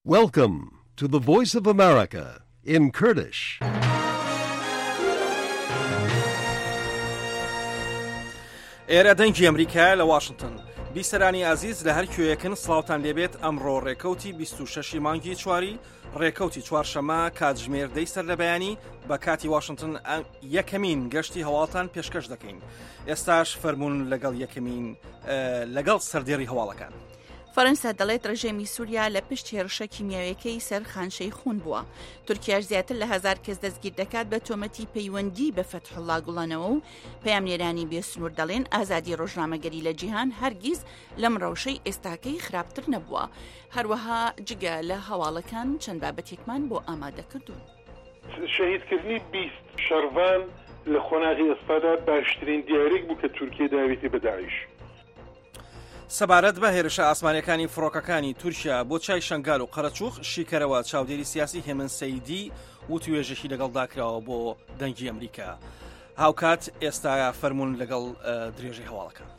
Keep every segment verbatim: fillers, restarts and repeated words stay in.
Welcome to the Voice of America in Kurdish. ئێرە دەنگی ئەمریکایە لە واشنتن. بیسەرانی ئازیز لە هەر کوێیەکن سڵاوتان لێبێت. ئەمڕۆ ڕێکەوتی بیست و شەش مانگی چواری ڕێکەوتی چوارشەممە کاتژمێر دەی سەر لە بەیانی بە کاتی واشنتن یەکەمین گەشتی هەواڵتان پێشکەش دەکەین. ئێستاش فەرمونون لەگەڵ یەکەمین لەگەڵ سەردێڕی هەواڵەکان. فەرەنسا دەڵێت ڕژێمی سووریا لە پشت هێرشە کیمیاویەکەی سەر خان شەیخون بووە. تورکیاش زیاتر لە هەزار کەس دەستگیر دەکات بە تۆمەتی پەیوەندی بە فەتحوڵا گوڵەنەوە و پەیامنێرانی بێسنوور دەڵێن ئازادی ڕۆژنامەگەری لە جیهان هەرگیز لەم ڕەوشەی ئێستاکەی خراپتر نەبووە. هەروەها جگە لە هەواڵەکان چەند بابەتێکمان بۆ ئامادەکردوون. شەهیدکردنی بیست شەڕڤان لە قۆناغی ئێستادا باشترین دیارێک بوو کە تورکیا داوێتی بە داعش. سەبارەت بە هێرشە ئاسمانیەکانی فڕۆکەکانی تورکیا بۆ چای شەنگال و قەرەچوخ، شیکەرەوە چاودێری سیاسی هێمن سەیدی وتوێژێکی لەگەڵدا کراوە بۆ دەنگی ئەمریکا. هاوکات ئێستا فەرمونون لەگەڵ درێژەی هەواڵەکان.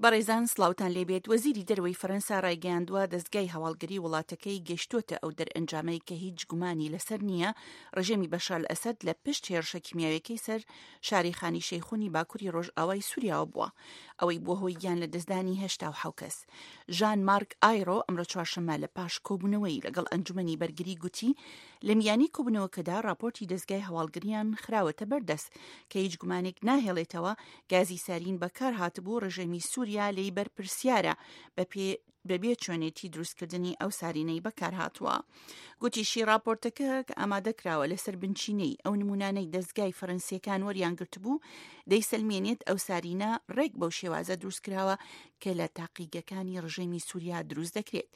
بەڕێزان سڵاوتان لێبێت. وەزیری دەرەوەی فەرەنسا ڕایگەیاندووە دەستگای هەواڵگری وڵاتەکەی گەشتووەتە ئەو دەرئەنجامەی کە هیچ گومانی لەسەر نییە ڕژێمی بەشار ئەسەد لە پشت هێرشە کیمیاویەکەی سەر شاری خانی شەیخونی باکووری ڕۆژئاوای سووریاوە بووە، ئەوەی بووە هۆی گیان لە دەستدانی هەشتا و حەوت کەس. ژان مارک ئایرۆ ئەمڕۆ چوارشەممە لە پاش کۆبوونەوەی لەگەڵ ئەنجومەنی بەرگری گوتی لە میانی کۆبوونەوەکەدا راپۆرتی دەستگای هەواڵگریان خراوەتە بەردەست کە هیچ گومانێک ناهێڵێتەوە گازی سارین بەکار هاتبوو ڕژێمی سووریا لێی بەرپرسیارە بەبێ چۆنێتی دروستکردنی ئەو سارینەی بەکار هاتووە. گوتیشی راپۆرتەکە کە ئامادەکراوە لەسەر بنچینەی ئەو نمونانەی دەستگای فەرەنسیەکان وەریان گرتبوو دەیسەلمێنێت ئەو سارینە ڕێک بەو شێوازە دروستکراوە کە لە تاقیگەکانی ڕژێمی سووریا دروست دەکرێت.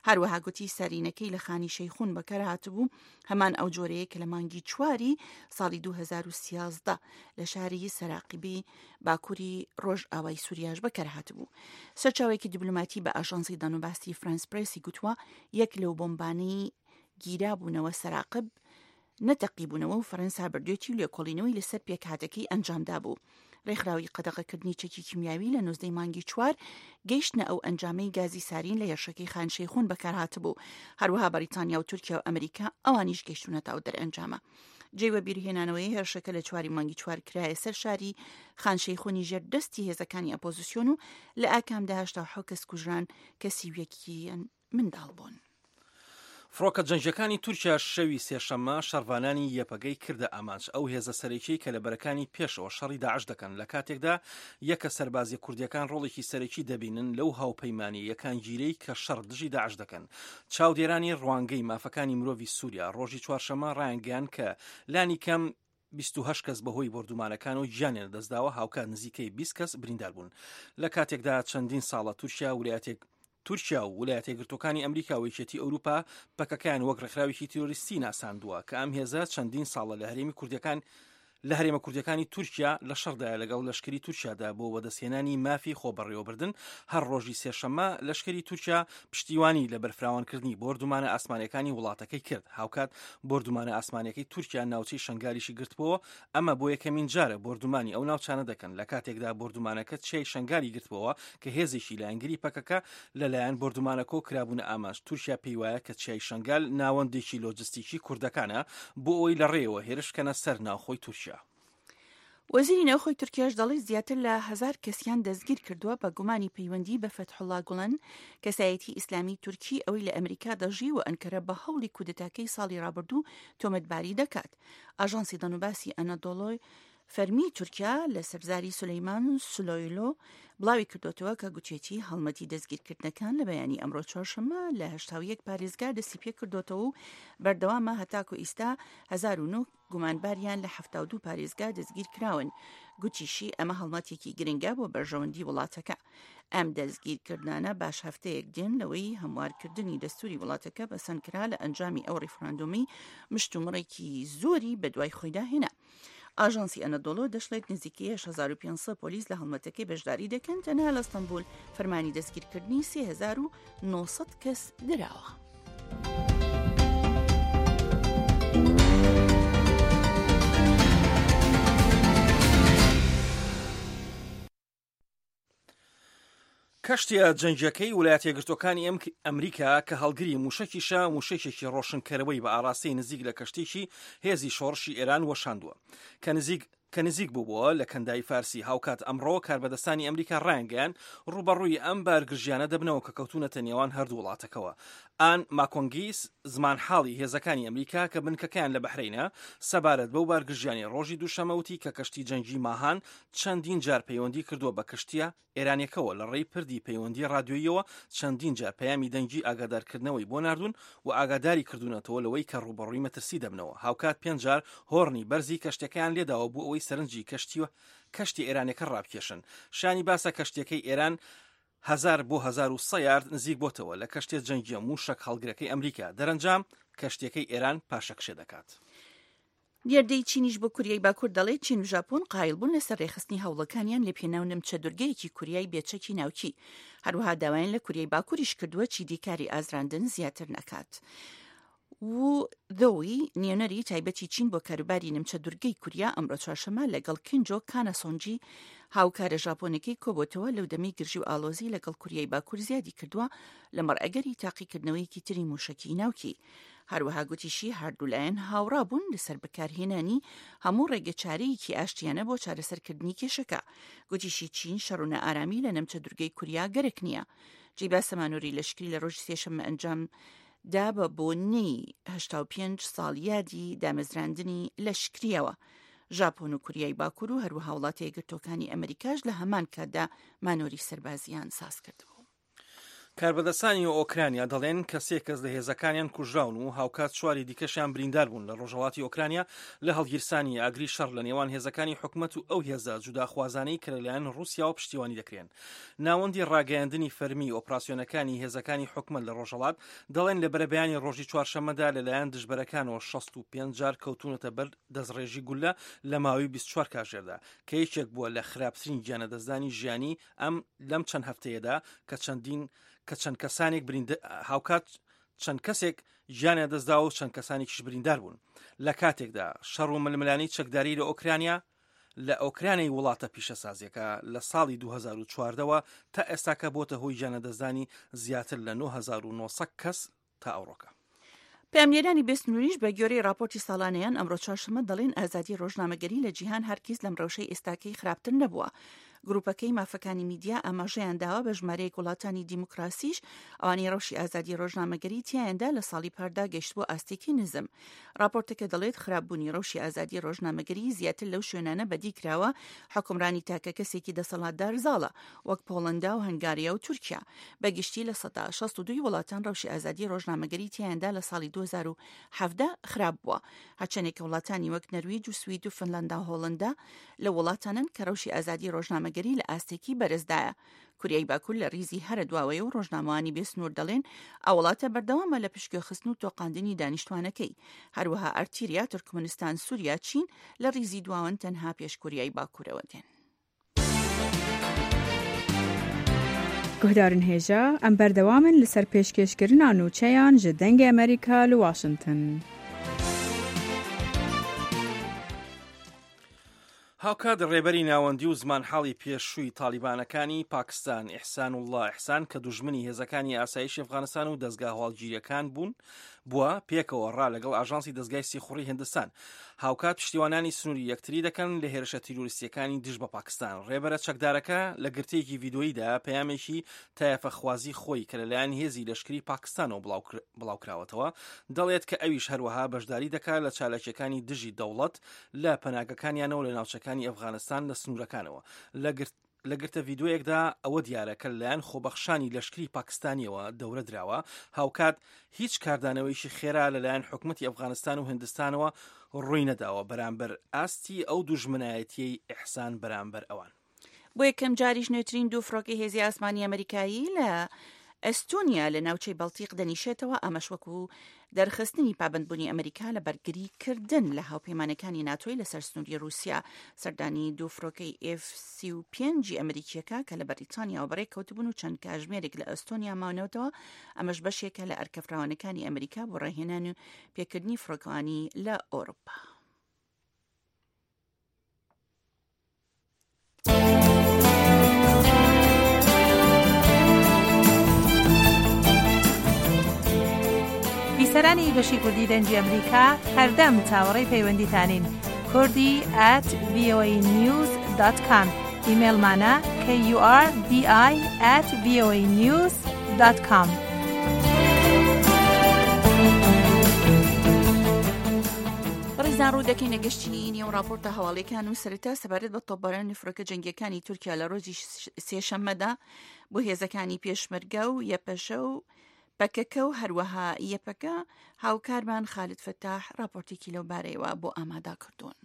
هەروەها گوتی سارینەکەی لە خانی شەیخون بەکار هاتبوو هەمان ئەو جۆرەیە کە لە مانگی چواری ساڵی دوو هەزار و سیازدە لە شاری سەراقیبی باکووری ڕۆژئاوای سووریاش بەکار هاتبوو. سەرچاوێکی دیبلۆماتی بە ئاژانسی دانوباسی فرانس پرێسی گوتووە یەک لەو بۆمبانەی گیرابوونەوە سەراقب نەتەقیبوونەوە و فەرەنسا بردوێتی و لێکۆڵینەوەی لەسەر پێکهاتەکەی ئەنجامدا بوو. ڕێکخراوی قەدەغەکردنی چەکی کیمیاوی لە نۆزدەی مانگی چوار گەیشتنە ئەو ئەنجامەی گازی سارین لە هێرشەکەی خان شەیخون بەکارهاتبوو. هەروەها بەریتانیا و تورکیا و ئەمریکا ئەوانیش گەیشتونەتە ئەو دەرئەنجامە. جێی وەبیرهێنانەوەی هێرشەکە لە چواری مانگی چوار کرایە سەر شاری خان شەیخونی ژێر دەستی هێزەکانی ئەپۆزیسیۆن و لە ئاکامدا هەشتا و حەوت کەس کوژران کە سی و یەکیان منداڵ بوون. فڕۆکە جەنگیەکانی تورکیا شەوی سێشەممە شەڕڤانانی یەپەگەی کردە ئامانج، ئەو هێزە سەرەکی کە لە بەرەکانی پێشەوە شەڕی داعش دەکەن، لە کاتێکدا یەکە سەربازیە کوردیەکان ڕۆڵێکی سەرەکی دەبینن لەو هاوپەیمانی یەکانگیرەی کە شەڕ دژی داعش دەکەن. چاودێرانی ڕوانگەی مافەکانی مرۆڤی سووریا ڕۆژی چوارشەممە ڕایانگەیاند کە لانی کەم بیست و هەشت کەس بەهۆی بۆردومانەکان و گیانیان لەدەستداوە، هاوکات نزیکەی بیست کەس بریندار بوون. لە کاتێکدا چەندین ساڵە تورکیا ولایەتێک تورکیا و ولایەتە یەکگرتووەکانی ئەمریکا و یەکێتی ئەوروپا پەکەکەیان وەک ڕێکخراوێکی تیرۆریستی ناساندووە کە ئەم هێزە چەندین ساڵە لە هەرێمی کوردیەکان لە هەرێمە کوردیەکانی تورکیا لە شەڕدایە لەگەڵ لەشکری تورکیادا بۆ وەدەستهێنانی مافی خۆبەڕێوەبردن. هەر ڕۆژی سێشەممە لەشکری تورکیا پشتیوانی لە بەرفراوانکردنی بۆردومانە ئاسمانیەکانی وڵاتەکەی کرد. هاوکات بۆردومانە ئاسمانیەکەی تورکیا ناوچەی شەنگالیشی گرتبووەوە. ئەمە بۆ یەکەمین جارە بۆردومانی ئەو ناوچانە دەکەن لە کاتێکدا بۆردومانەکە چیای شەنگالی گرتبووەوە کە هێزێکی لایەنگری پەکەکە لەلایەن بۆردومانەکۆ کرابوونە ئامانج. تورکیا پێی وایە کە چیای شەنگال ناوەندێکی لۆجستیکی کوردەکانە بۆ ئەوەی لە ڕێیەوە هێرش بکەنە سەر ناوخۆی تورکیا. وەزیری ناوخۆی تورکیاش دەڵێت زیاتر لە هەزار کەسیان دەستگیر کردووە بە گومانی پەیوەندی بە فەتحوڵا گوڵەن، کەسایەتی ئیسلامی تورکی ئەوەی لە ئەمریکا دەژی و ئەنکەرە بە هەوڵی کودەتاکەی ساڵی ڕابردوو تۆمەتباری دەکات. ئاژانسی دەنوباسی ئەنەدۆڵۆی فەرمی تورکیا لە سەرزاری سولەیمان سلۆیلۆ بڵاوی کردوتەوە کە گوتێتی هەڵمەتی دەستگیرکردنەکان لە بەیانی ئەمڕۆ چوارشەممە لە هەشتا و یەک پارێزگا دەستی پێ کردوتەوە و بەردەوامە هەتاکو ئیستا هەزار و نۆ گومانباریان لە حەفتا و دوو پارێزگا دەستگیر کراون. گوتیشی ئەمە هەڵمەتێکی گرنگە بۆ بەرژەوەندی وڵاتەکە. ئەم دەستگیرکردنانە باش هەفتەیەک دێن لەوەی هەموارکردنی دەستوری وڵاتەکە پەسەند کرا لە ئەنجامی ئەو ڕیفراندۆمی مشتومڕێکی زۆری بەدوای خۆیدا هێنا. ئاژانسی ئەنەدۆڵۆ دەشڵێت نزیکەی هەشت هەزار و پێنج سەد پۆلیس لە هەڵمەتەکەی بەشداری دەکەن، تەنها لە ئەستەنبول فەرمانی دەستگیرکردنی سێ هەزار و نۆ سەد کەس دراوە. کەشتیە جەنگیەکەی وڵاتە یەکگرتووەکانی ئەمریکا کە هەڵگری موشەکیشە موشەکێکی ڕۆشنکەرەوەی بە ئاراستەی نزیک لە کەشتێکی هێزی شۆڕشی ئێران وەشاندووە کە نزیک کە نزیک بووبووە لە کەنداوی فارسی. هاوکات ئەمڕۆ کاربەدەستانی ئەمریکا ڕایانگەیاند ڕووبەڕووی ئەم بارگرژیانە دەبنەوە کە کەوتونەتە نێوان هەردوو وڵاتەکەوە. ئان ماکۆنگیس زمانحاڵی هێزەکانی ئەمریکا کە بنکەکەیان لە بەحرینە سەبارەت بەو بارگرژیانی ڕۆژی دووشەممە وتی کە کەشتی جەنگی ماهان چەندین جار پەیوەندی کردووە بە کەشتیە ئێرانیەکەوە لە ڕێی پردی پەیوەندی ڕادیۆییەوە چەندین جار پەیامی دەنگی ئاگادارکردنەوەی بۆ ناردوون و ئاگاداری کردوونەتەوە لەوەی کە ڕووبەڕووی مەترسی دەبنەوە. هاوکات پێنج جار هۆڕنی بەرزی کەشتەکەیان لێداوە بۆ ئەوەی سەرنجی کەشتیوە کەشتی ئێرانەکە ڕابکێشن. شانی باسە کەشتیەکەی ئێران هزار بۆ هزار و سە یارد نزیک بۆتەوە لە کەشتیە جەنگیە موشەک هەڵگرەکەی ئەمریکا. دەرەنجام کەشتیەکەی ئێران پاشەکشێ دەکات. نێردەی چینیش بۆ کوریای باکوور دەڵێت چین و ژاپۆن قایل بوون لەسەر ڕێکخستنی هەوڵەکانیان لە پێناو نمچە دورگەیەکی کوریای بێچەکی ناوکی. هەروەها داوایان لە کوریای باکووریش کردووە چیدی کاری ئازراندن زیاتر نەکات. وو ذۆوی نوێنەری تایبەتی چین بۆ کاروباری نمچە دورگەی کوریا ئەمڕۆ چوارشەممە لەگەڵ کینجۆ کاناسۆنجی هاوکارە ژاپۆنەکەی کۆبۆتەوە لەو دەمەی گرژی و ئالۆزی لەگەڵ کوریای باکوور زیادی کردووە لەمەڕ ئەگەری تاقیکردنەوەیەکی تری موشەکی ناوکی. هەروەها گوتیشی هەردوولایەن هاوڕا بوون لەسەر بەکارهێنانی هەموو ڕێگەچارەیەکی ئاشتیانە بۆ چارەسەرکردنی کێشەکە. گوتیشی چین شەڕ و نائارامی لە نمچە دورگەی کوریا گەرەک نییە. جێی باسە مانۆری لەشکری لە ڕۆژی سێشەممە ئەنجام دا بە بۆنەی هەشتا و پێنج ساڵ یادی دامەزراندنی لەشکریەوە. ژاپۆن و کوریای باکوور و هەروەها وڵاتە یەکگرتووەکانی ئەمریکاش لە هەمان کاتدا مانۆری سەربازیان ساز کردبوو. کاربەدەستانی ئۆکرانیا دەڵێن کە سێ کەس لە هێزەکانیان کوژراون و هاوکات چواری دیکەشیان بریندار بوون لە ڕۆژهەڵاتی ئۆکرانیا لە هەڵگیرسانی ئاگری شەڕ لە نێوان هێزەکانی حکومەت و ئەو هێزە جوداخوازانەی کە لەلایەن ڕووسیاوە پشتیوانی دەکرێن. ناوەندی ڕاگەیاندنی فەرمی ئۆپراسیۆنەکانی هێزەکانی حکومەت لە ڕۆژهەڵات دەڵێن لە بەرەبەیانی ڕۆژی چوارشەممەدا لەلایەن دژبەرەکانەوە شەست و پێنج جار کەوتونەتە بەر دەستڕێژی گولە لە ماوەی بیست و چوار کاژێردا کە یەکێک بووە لە خراپترین گیانەدەستدانی ژیانی ئەم لەم چەند هەفتەیەدا کە چەندین کە چەند کەسانێک هاوکات چەند کەسێک گیانیان دەستداوە و چەند کەسانێکیش بریندار بوون. لە کاتێکدا شەڕ و ململانێی چەکداری لە ئۆکرانیا لە ئۆکرانیای وڵاتە پیشەسازیەکە لە ساڵی دوو هەزار و چواردەوە تا ئێستاکە بۆتە هۆی گیانەدەستدانی زیاتر لە نۆ هەزار و نۆ سەد کەس تا ئەوڕۆکە. پەیامنێرانی بێسنووریش بە گوێرەی راپۆرتی ساڵانەیان ئەمڕۆ چوارشەممە دەڵێن ئازادی ڕۆژنامەگەری لە جیهان هەرگیز لەم ڕەوشەی ئێستاکەی خراپتر نەبووە. گروپەکەی مافەکانی میدیا ئاماژەیان داوە بە ژمارەیەک وڵاتانی دیموکراسیش ئەوانەی ڕەوشی ئازادی ڕۆژنامەگەری تیایاندا لە ساڵی پاردا گەیشتبووە ئاستێکی نزم. راپۆرتەکە دەڵێت خراپبوونی ڕەوشی ئازادی ڕۆژنامەگەری زیاتر لەو شوێنانە بەدی کراوە حکومرانی تاکە کەسێکی دەسەڵاتدار زاڵە وەک پۆڵەندا و هەنگاریا و تورکیا. بەگشتی لە سەدا شەست و دووی وڵاتان ڕەوشی ئازادی ڕۆژنامەگەری تیایاندا لە ساڵی دوو هەزار و حەڤدە خراپ بووە. هەرچەندێک وڵاتانی وەک نەرویج و سوید و فنلندا و هۆڵندا لە وڵاتانن کە ڕەوشی ئازادی ڕۆژنامەگەری لە ئاستێکی بەرزدایە. کوریای باکوور لە ریزی هەرە دواوەیە و ڕۆژنامەوانی بێسنوور دەڵێن ئەو وڵاتە بەردەوامە لە پشتگوێخستن و تۆقاندنی دانیشتوانەکەی. هەروەها ئەرتیریا، تورکمنستان، سووریا، چین لە ریزی دواوەن تەنها پێش کوریای باکوورەوە دێن. گوهدارن هێژا ئەم بەردەوامن لەسەر پێشکێشکردنا نوچەیان ji دەنگê ئەمریکا li واشنگتن. هاوکات ڕێبەری ناوەندی و زمانحاڵی پێشووی تالیبانەکانی پاکستان ئیحسانوڵڵا ئیحسان کە دوژمنی هێزەکانی ئاسایشی ئەفغانستان و دەزگا هەواڵگیریەکان بوون بووە پێکەوە ڕا لەگەڵ ئاژانسی دەزگای سیخوڕی هندستان. هاوکات پشتیوانانی سنووری یەکتری دەکەن لە هێرشە تیرۆریستیەکانی دژ بە پاکستان. ڕێبەرە چەکدارەکە لە گرتەیەکی ڤیدۆییدا پەیامێکی تایەفەخوازی خۆی کە لەلایەن هێزی لەشکری پاکستانەوە بڵاوکراوەتەوە دەڵێت کە ئەویش هەروەها بەشداری دەکات لە چالاکیەکانی دژی دەوڵەت لە پەناگەکانیانەوە لە ناوچەکانی ئەفغانستان لە سنوورەکانەوە. لە گرتە ڤیدۆیەکدا ئەوە دیارە کە لەلایەن خۆبەخشانی لەشکری پاکستانیەوە دەورە دراوە. هاوکات هیچ کاردانەوەیشی خێرا لەلایەن حکومەتی ئەفغانستان و هندستانەوە ڕووی نەداوە بەرامبەر ئاستی ئەو دوژمنایەتیەی ئیحسان بەرامبەر ئەوان. بۆ یەکەم جاریش نوێترین دوو فڕۆکەی هێزی ئاسمانی ئەمریکایی لە ئەستۆنیا لە ناوچەی بەڵتیق دەنیشێتەوە، ئەمەش وەکو دەرخستنی پابەندبوونی ئەمریکا لە بەرگریکردن لە هاوپەیمانەکانی ناتۆی لەسەر سنووری رووسیا. سەردانی دوو فڕۆکەی ئێف سی و پێنجی ئەمریکیەکە کە لە بەریتانیاوە بەڕێکەوتبوون و چەند کاژمێرێک لە ئەستۆنیا ماونەوەتەوە، ئەمەش بەشێکە لە ئەرکەفراوانەکانی ئەمریکا بۆ ڕاهێنان و پێکردنی فڕۆکەوانی لە ئەوروپا. بیسەرانی بەشی کوردی دەنگی ئەمریکا هەردەم چاوەڕێی پەیوەندیتانین. کوردی at voanews dot com. ئیمەیڵمانە kurdi at voanews dot com. بەڕێزان ڕوو دەکەینە گەشتی نێو راپۆرتە هەواڵیەکان و سەرەتا سەبارەت بە تۆپبارانی فڕۆکە جەنگیەکانی تورکیا لە ڕۆژی سێشەممەدا بۆ هێزەکانی پێشمەرگە و یەپەشە و پەکەکە و هەروەها یەپەکە، هاوکارمان خالد فەتاح راپۆرتێکی لەو بارەیەوە بۆ ئامادا کردوون.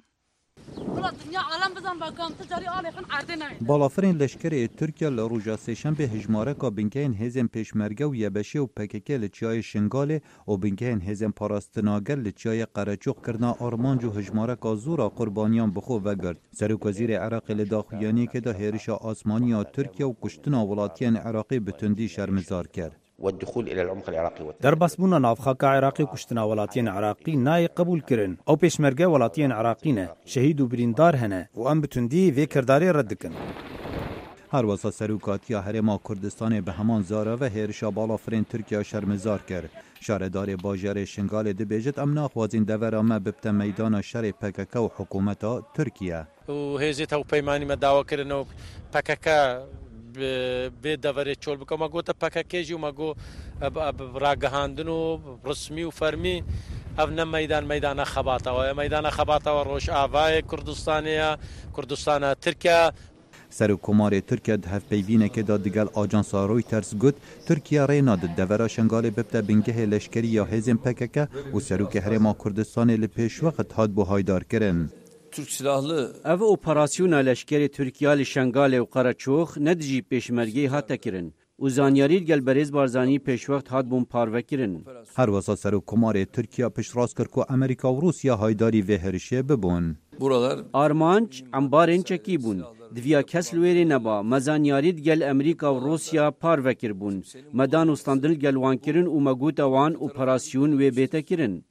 بالافرین لشکری ترکیه لروژا سهشنبه هجمارکا بنکهین هزین پیشمرگه و یبشه و پککه لچیای شنگاله و بنکهین هزین پاراستناگر لچیای قرچوق کرنا آرمانج و هجمارکا زورا قربانیان بخو وگرد. سرک وزیر عراق لداخیانی که دا هرش آسمانی ترکیه و کشتنا ولاتیان عراقی بتندی شرمزار کرد. والدخول الى العمق العراقي درباسبونا ناوخاکا عراقی و کشتنا ولاتیان عراقی نای قبول کرن او پیشمرگه ولاتیان عراقی نه شهید و بریندار هنه و ام بتوندی وی کرداری رد دکن. هر وسا سروکاتیا هرما کردستان به همان زارا و هرشا بالافرین ترکیه شرمزار کرد. شاردار باجر شنگال دبیجت ام ناخوازین دورا ما ببت میدان شر پکک و حکومت ترکیه. و هێزێت ئەو پەیمانی مە داواکردنەوە پەکەکە بێ دەڤەرێت چۆل بکە مە گوتە پەکەکێژی و مە گۆ ڕاگەهاندن و ڕسمی و فەرمی ئەv نە مەدان مەدانە خەباتەوە مەدانە خەباتەوە ڕۆژ ئاوایە کوردستانەیە کوردستانە تورکیا. سەرۆک تورکیا هەڤپەیڤینێکێ دا دگەل ئاژانسا ڕۆیتەرز گوت تورکیا ڕێ نادت دەڤەرا شنگالê ببتە بنگehê leşkerî ya hêzên P K K û serokê Herêma Kurdistanê li pêşwext hat bû haydarkirin. Türk silahlı ev operasyona leşkerê Türkiye li Şengalê û Qereçox ne dijî pêşmergeyê hate kirin û zanyarî gel berêz Barzanî pêşwext hat bûn parvekirin. Her wisa serokkomarê Tirkiye piştrast kir ku Amerîka û Rûsya haydarî vê hêrişê bibûn. Buralar Armanc embarên çekî bûn. Diviya kes li wêrê neba me zanyarî gel Amerîka û Rûsya parvekir bûn. Me dan û standin gel wan kirin û me gota wan operasyon wê bête kirin.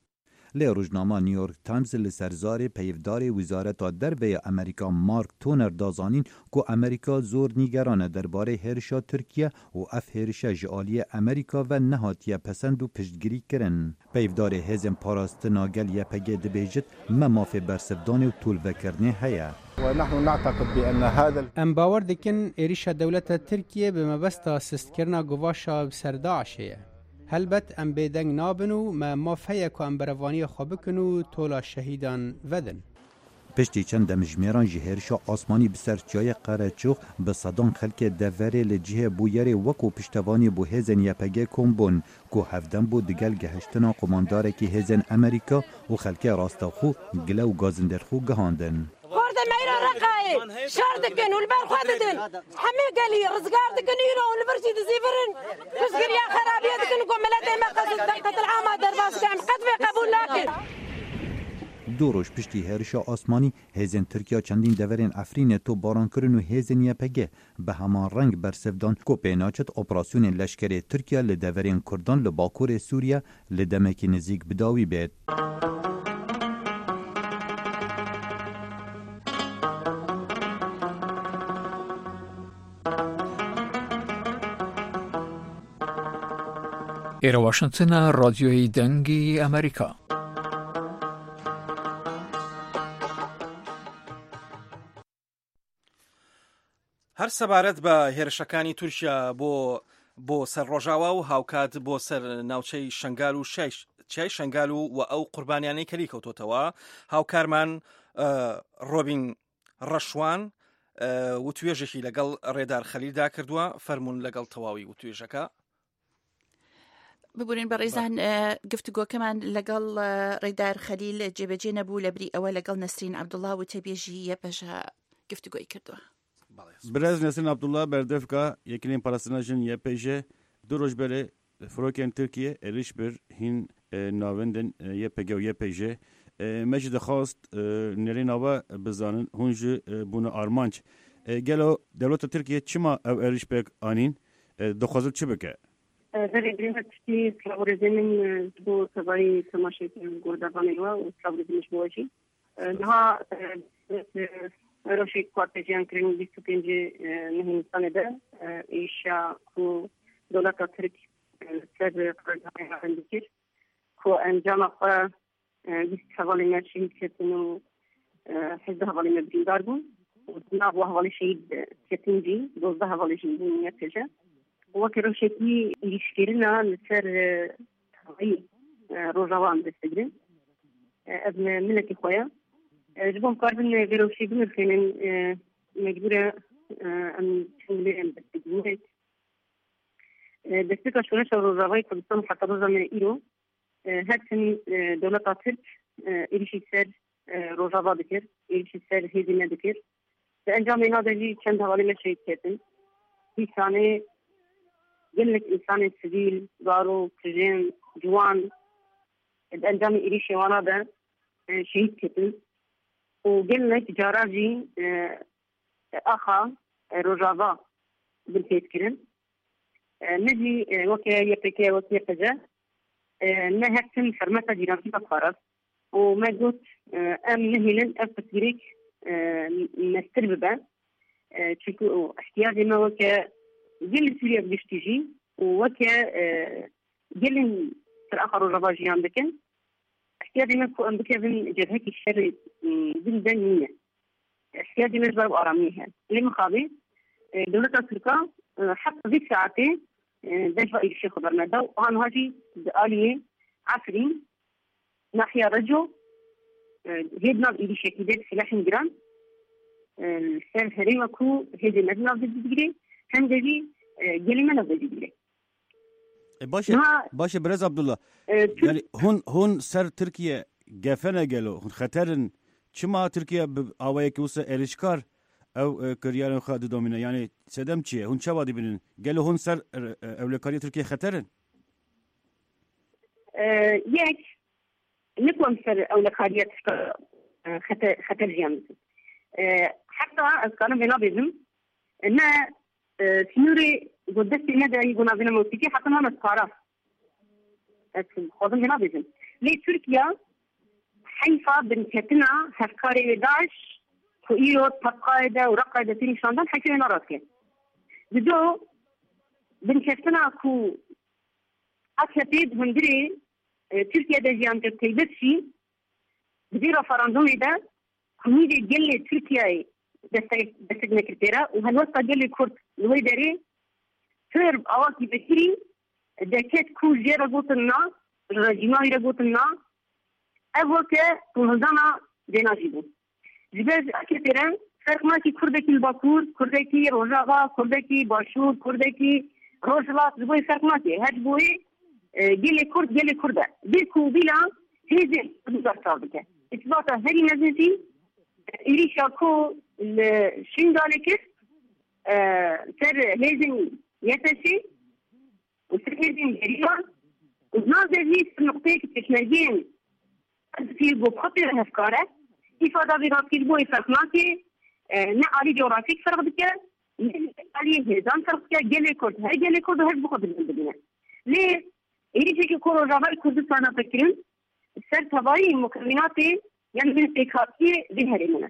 Lê rojnama New York Times li ser zarê peyvdarê Wezareta Derve ya Amerîka Mark Toner da zanîn ku Amerîka zor nîgeran e derbarê hêrişa Tirkiye û ev hêrişe ji aliyê Amerîka ve nehatiye pesend û piştgirî kirin. Peyvdarê hêzên parastina gel Y P G dibêjit me mafê bersivdanê û tolvekirinê heye. Em bawer dikin êrişa dewleta Tirkiye bi mebesta sistkirina guvaşa ser DAIŞê ye. Helbet em bêdeng nabin û me maf heye ku em berevaniya xwe bikin û tola şehîdan vedin. Piştî çend demjimêran ji hêrişa asmanî bi ser çiyayê Qereçox bi sedan xelkê deverê li cihê bûyerê wek û piştevanî bû hêzên Y P G kom bûn ku hevdem bû digel gehiştina qomandarekî hêzên Amerîka û xelkê rastexwe gile û gazindêrxwe gihandin. شار دکن و البر خود دن همه گلی رزگار دکن ایرو و البرشی دزیفرن پشگیری خرابیه دکن و ملت ما قصد قتل عام درباس کم قد قبول نکن. دو roj piştî hêrişa asmanî hêzên Tirkiya çendîn deverên Efrînê topbaran kirin û hêzên Y P G bi heman reng bersiv dan ku pênaçet operasyonên leşkerê Tirkiye li deverên Kurdan li Bakurê Sûriye li demekî nêzîk bi dawî bêt. ئێرە واشنگتنە رادیۆی دەنگی ئەمریکا. هەر سەبارەت بە هێرشەکانی تورکیا بۆ بۆ سەر ڕۆژاوا و هاوکات بۆ سەر ناوچەی شنگال و چیای شنگال و و ئەو قوربانیانەی کەلی کەوتۆتەوە هاوکارمان ڕۆبین ڕەشوان وتوێژێکی لەگەڵ ڕێدار خەلیلدا کردووە. فەرمونون لەگەڵ تەواوی وتوێژەکە. ببورن بەڕێزان گفتوگۆکەمان لەگەڵ ڕێدار خەلیل جێبەجێ نەبوو لە بری ئەوە لەگەڵ نەسرین عەبدوڵڵا وتەبێژی یەپەژە گفتوگۆی کردووە. Birêz Nesrin Abdullah berdevka Yekîneyên Parastina Jin Y P J du roj berê firokên Tirkiye êriş bir hîn navendên Y P G û Y P J me jî dixwast nêrîna we bizanin hûn jî bûne armanc. Gelo dewleta Tirkiye çima ew êriş pêk anîn dixwazin çi bike? Berê birî tiştî silav û rêzê min ji bo tevayî temaşekirin guhdarvanê we û silav û rêzê min ji bo we jî. Niha rewşê ku hate jiyankirin bîst û pêncî mehê Nîsanê de êrişa ku dewleta Tirk li ser qirgehê dikir ku encama xwe bîst hevalê me şehîd ketin û hejdeh hevalê me birîndar bûn û di nav hevalê şehîd ketin jî dozdeh hevalê jî bûn Y P J. Weke rewşekî êrîşkirina li ser tevayî Rojava em dest digirin. Ev milletê xwe ye. Ji bo em karibin vê rewşê binirxînin mecbûr e em çend lê em dest digirin. Destpêka şoreşa Rojavayê Kurdistan heta roja me îro her tim dewleta Tirk êrîşî ser Rojava dikir, êrîşî ser hêzê me dikir. Di encamê na de jî çend hevalê me şehîd ketin. Dîsanê gelek însanên sivîl, zarok, jin, ciwan di encamê êrîşê wana de şehîd ketin û gelek cara jî axa Rojava binpêt kirin. Me jî weke Y P G, weke Y P J me her tim hurmeta cîrantî me parast û me got em nehêlin ev pirsgirêk mestir bibe. Çünkü ihtiyacê me weke gelê Sûriye bi giştî jî û weke gelên ser axa Rojava jiyan dikin, ihtiyacê me ku em bikevin cebhekî şerê din de nîne. İhtiyacê me ji ber aramiyê heye. Lê mixabî dewleta Tirka heta vê saetê dest êrîşê xwe berneda û aniha jî di aliyê Efrîn nahiya Reco hê di nav êrîşekî de silahên giran li ser herêma ku hêzê me di nav de digire hem de jî gelê me nav de digire. Başe başe Birêz Abdullah. Yani hûn hûn ser Tirkiye gefene gelo hûn xeterin çima Tirkiye bi awayekî wisa êrîşkar ew kiryarên xwe didomîne yani sedem çi ye hûn çawa dibînin gelo hûn ser ewlekariya Tirkiye xeterin? Yek ne ku em ser ewlekariya Tirkiye xeter xeter jiyan dikin. Heta ez karim vê nabêjim ne sînorê got destê me de yê navîna mewtîkê heta niha me diparast. Ez dixwazim vê nabêjim. Lê Tirkiye heyfa binketina hevkarê wê DAIŞ ku îro Tebqayê de û Reqayê de tê nîşandan heyfê wê narast Di do binkeftina ku A K P di hundirê Tirkiye de jiyan kir taybet jî di vê referandûmê de ku nîvê gelê Tirkiyeyê destek destek nekir pê re û helwesta gelê Kurd li wê derê pir awakî vekirî derket ku jê re gotin na, ji rejîma wî re gotin na, ev weke tolhildana vêna jî bû. Ji ber ji A K P re ferq nake Kurdekî li Bakur, Kurdekî Rojava, Kurdekî Başûr, Kurdekî Rojhilat ji bo wê ferq nake. Her ji bo wê gelê Kurd gelê Kurd e. Bê ku bîla hêzên Kurdî berçav bike. Îsbata herî mezin jî êrîşa ku li Şingalê kir ser hêzên Y P J û ser hêzên gerîla û di nav de jî ser nuqteyekî pêşmergeyên pîr got xwe pê re hevkar e. Îfada vê rastî ji bo wê ferq nake, ne alî coğrafîk ferq dike, ne aliyê hêzan ferq dike, gelê Kurd her gelê Kurd her bi xwe dibîne. Lê êrîşekî ku Rojavayê Kurdistanê hate kirin ser tevayî mukewînatê yani bin pêkhatiyê vê herêmê ne.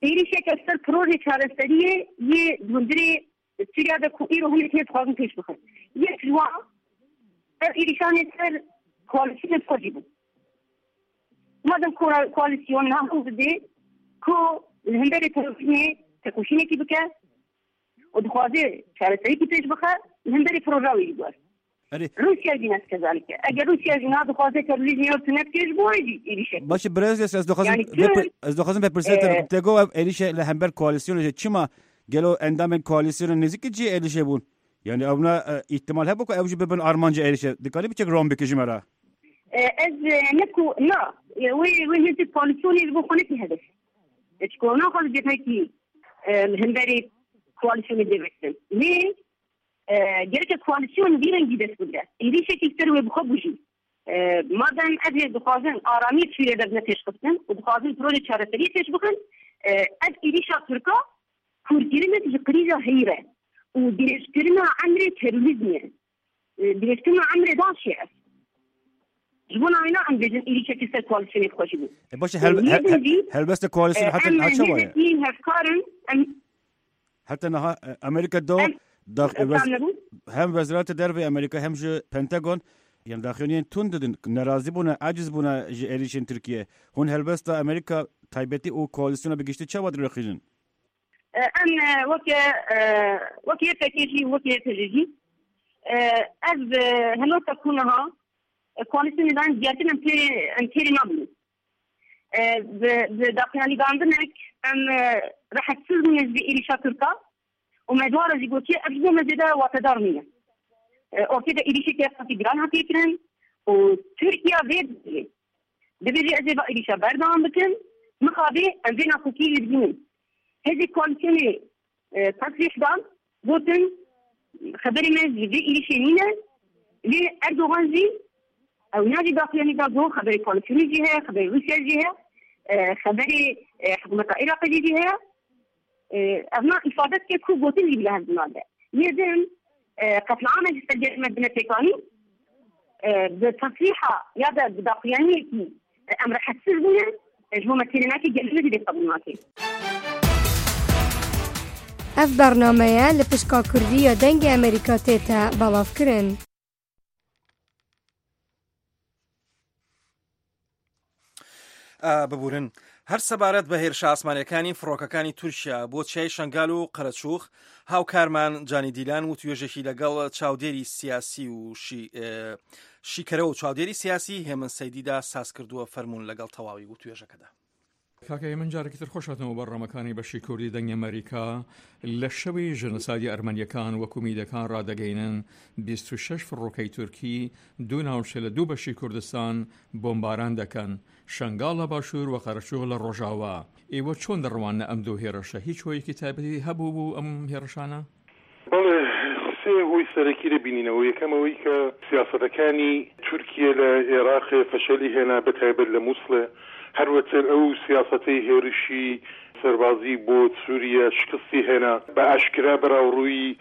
Êrîşeke ser projê çareseriyê yê hundirê Sûriya de ku îro hinek hêz dixwazin pêş bixin. Yek ji wan ev êrîşanê ser koalisyonê xwe jî bû. Madem koalisyon niha dide ku li hemberê terorîzmê tekoşînekî bike û dixwaze çareseriyekî pêş bixe li hemberê proja wî jî bû. Rusya jî ne kezalike. Eger Rusya jî niha dixwaze terorîzmê ew tune bike ji bo wê jî êrîşek. Başe birêz ez dixwazim ez dixwazim bipirsim te got ev êrîşe li hember koalisyonê jî çima gelo endamên koalisyonê nêzîkî cihê êrîşê bûn? Yani ew ne ihtimal hebû ku ew jî bibin armanca êrîşê. Dikarî biçek rom bikî ji me re? Ez ne ku na wê wê hêzê koalisyonê ji bo xwe nekî hedef. Çiko naxwaze cebhekî li hemberê koalisyonê dê vekirin. Lê gereke koalisyon vî rengî dest bigire. Êrîşekî ser wê bi xwe bû jî. Madem ev hêz dixwazin aramî Sûriye de bine pêşxistin û dixwazin projê çareseriyê pêş bixin, ev êrîşa Tirka kûrkirinek ji krîza heyî re û dirêjkirina emrê terorîzmê ye. Dirêjkirina emrê DAIŞê ev. Ji bo navê em bêjin êrîşekî ser koalisyonê xwe jî bû. Başe helbesta koalisyon heta niha çawa ye? Em hevkarin em Heta niha Amerîka do hem Wezareta Derve Amerîka hem ji Pentagon یان daxuyaniyên tund didin nerazî bûne aciz bûne ji êrişên Tirkiye. Hûn helbesta Amerîka taybetî û koalîsyona bi giştî çawa dirêxînin? Em weke weke YPG jî weke YPJ jî ev helwesta ku niha koalîsyonê dan diyartin em têrê em têrê nabînin. Bi daxuyanîdandinek em rehetsiz bûne ji vê êrişa Tirka û me dwara jî gotiye ev ji bo me zêde watedar nîne. Ortaya de êrişeke qasî giran hatiye kirin û Tirkiye vê dibêje ez ê va êrişa berdewam bikim mixabê em vê nakokiyê jî dibînin. Hêzê koalîsyonê tasrîh dan gotin xeberê me ji vê êrişê nîne lê Erdogan jî ew navî daxuyanî da got xeberê koalîsyonê jî heye xeberê Rûsya jî heye xeberê hikûmeta Iraqê jî heye ev na îfade dike ku gotin jî bila hev nade. Yê din qetliama ji ser gelê me bine pêkanî bi tasrîha ya da bi daxuyaniyekî em rehetsiz bûne ji bo me têrê nake gelê me jî vê qebûl nake. Ev bernameye li pişka Kurdî ya Dengê Amerîka tête belavkirin. ببورن هەر سەبارەت بە هێرشە ئاسمانیەکانی فڕۆکەکانی تورکیا بۆ چیای شەنگال و قەرەچوخ هاوکارمان جانی دیلان وتوێژێکی لەگەڵ چاودێری سیاسی و شیکەرەوە و چاودێری سیاسی هێمن سەیدیدا ساز کردووە فەرمونون لەگەڵ تەواوی وتوێژەکەدا. کاکە من جارێکی تر خۆش هاتنەوە بەرنامەکانی بەشی کوردی دەنگی ئەمریکا لە شەوی ژێنۆسایدی ئەرمەنیەکان وەکو میدەکان ڕادەگەینن بیست و شەش فڕۆکەی تورکی دوو ناوچە لە دوو بەشی کوردستان بۆمباران دەکەن، شەنگاڵ لە باشوور و قەرەچوغ لە ڕۆژاوا. ئێوە چۆن دەڕواننە ئەم دوو هێرشە؟ هیچ هۆیەکی تایبەتی هەبوو بوو ئەم هێرشانە؟ بەڵێ، سێ هۆی سەرەکی دەبینینەوە. یەکەم ئەوەی کە سیاسەتەکانی تورکیە لە عێراق فەشەلی هێنا، بە تایبەت لە مووسڵێ. هەروەتر ئەو سیاسەتەی هێرشی سەربازی بۆ سووریە شکستی هێنا، بە ئاشکرا بەراوڕووی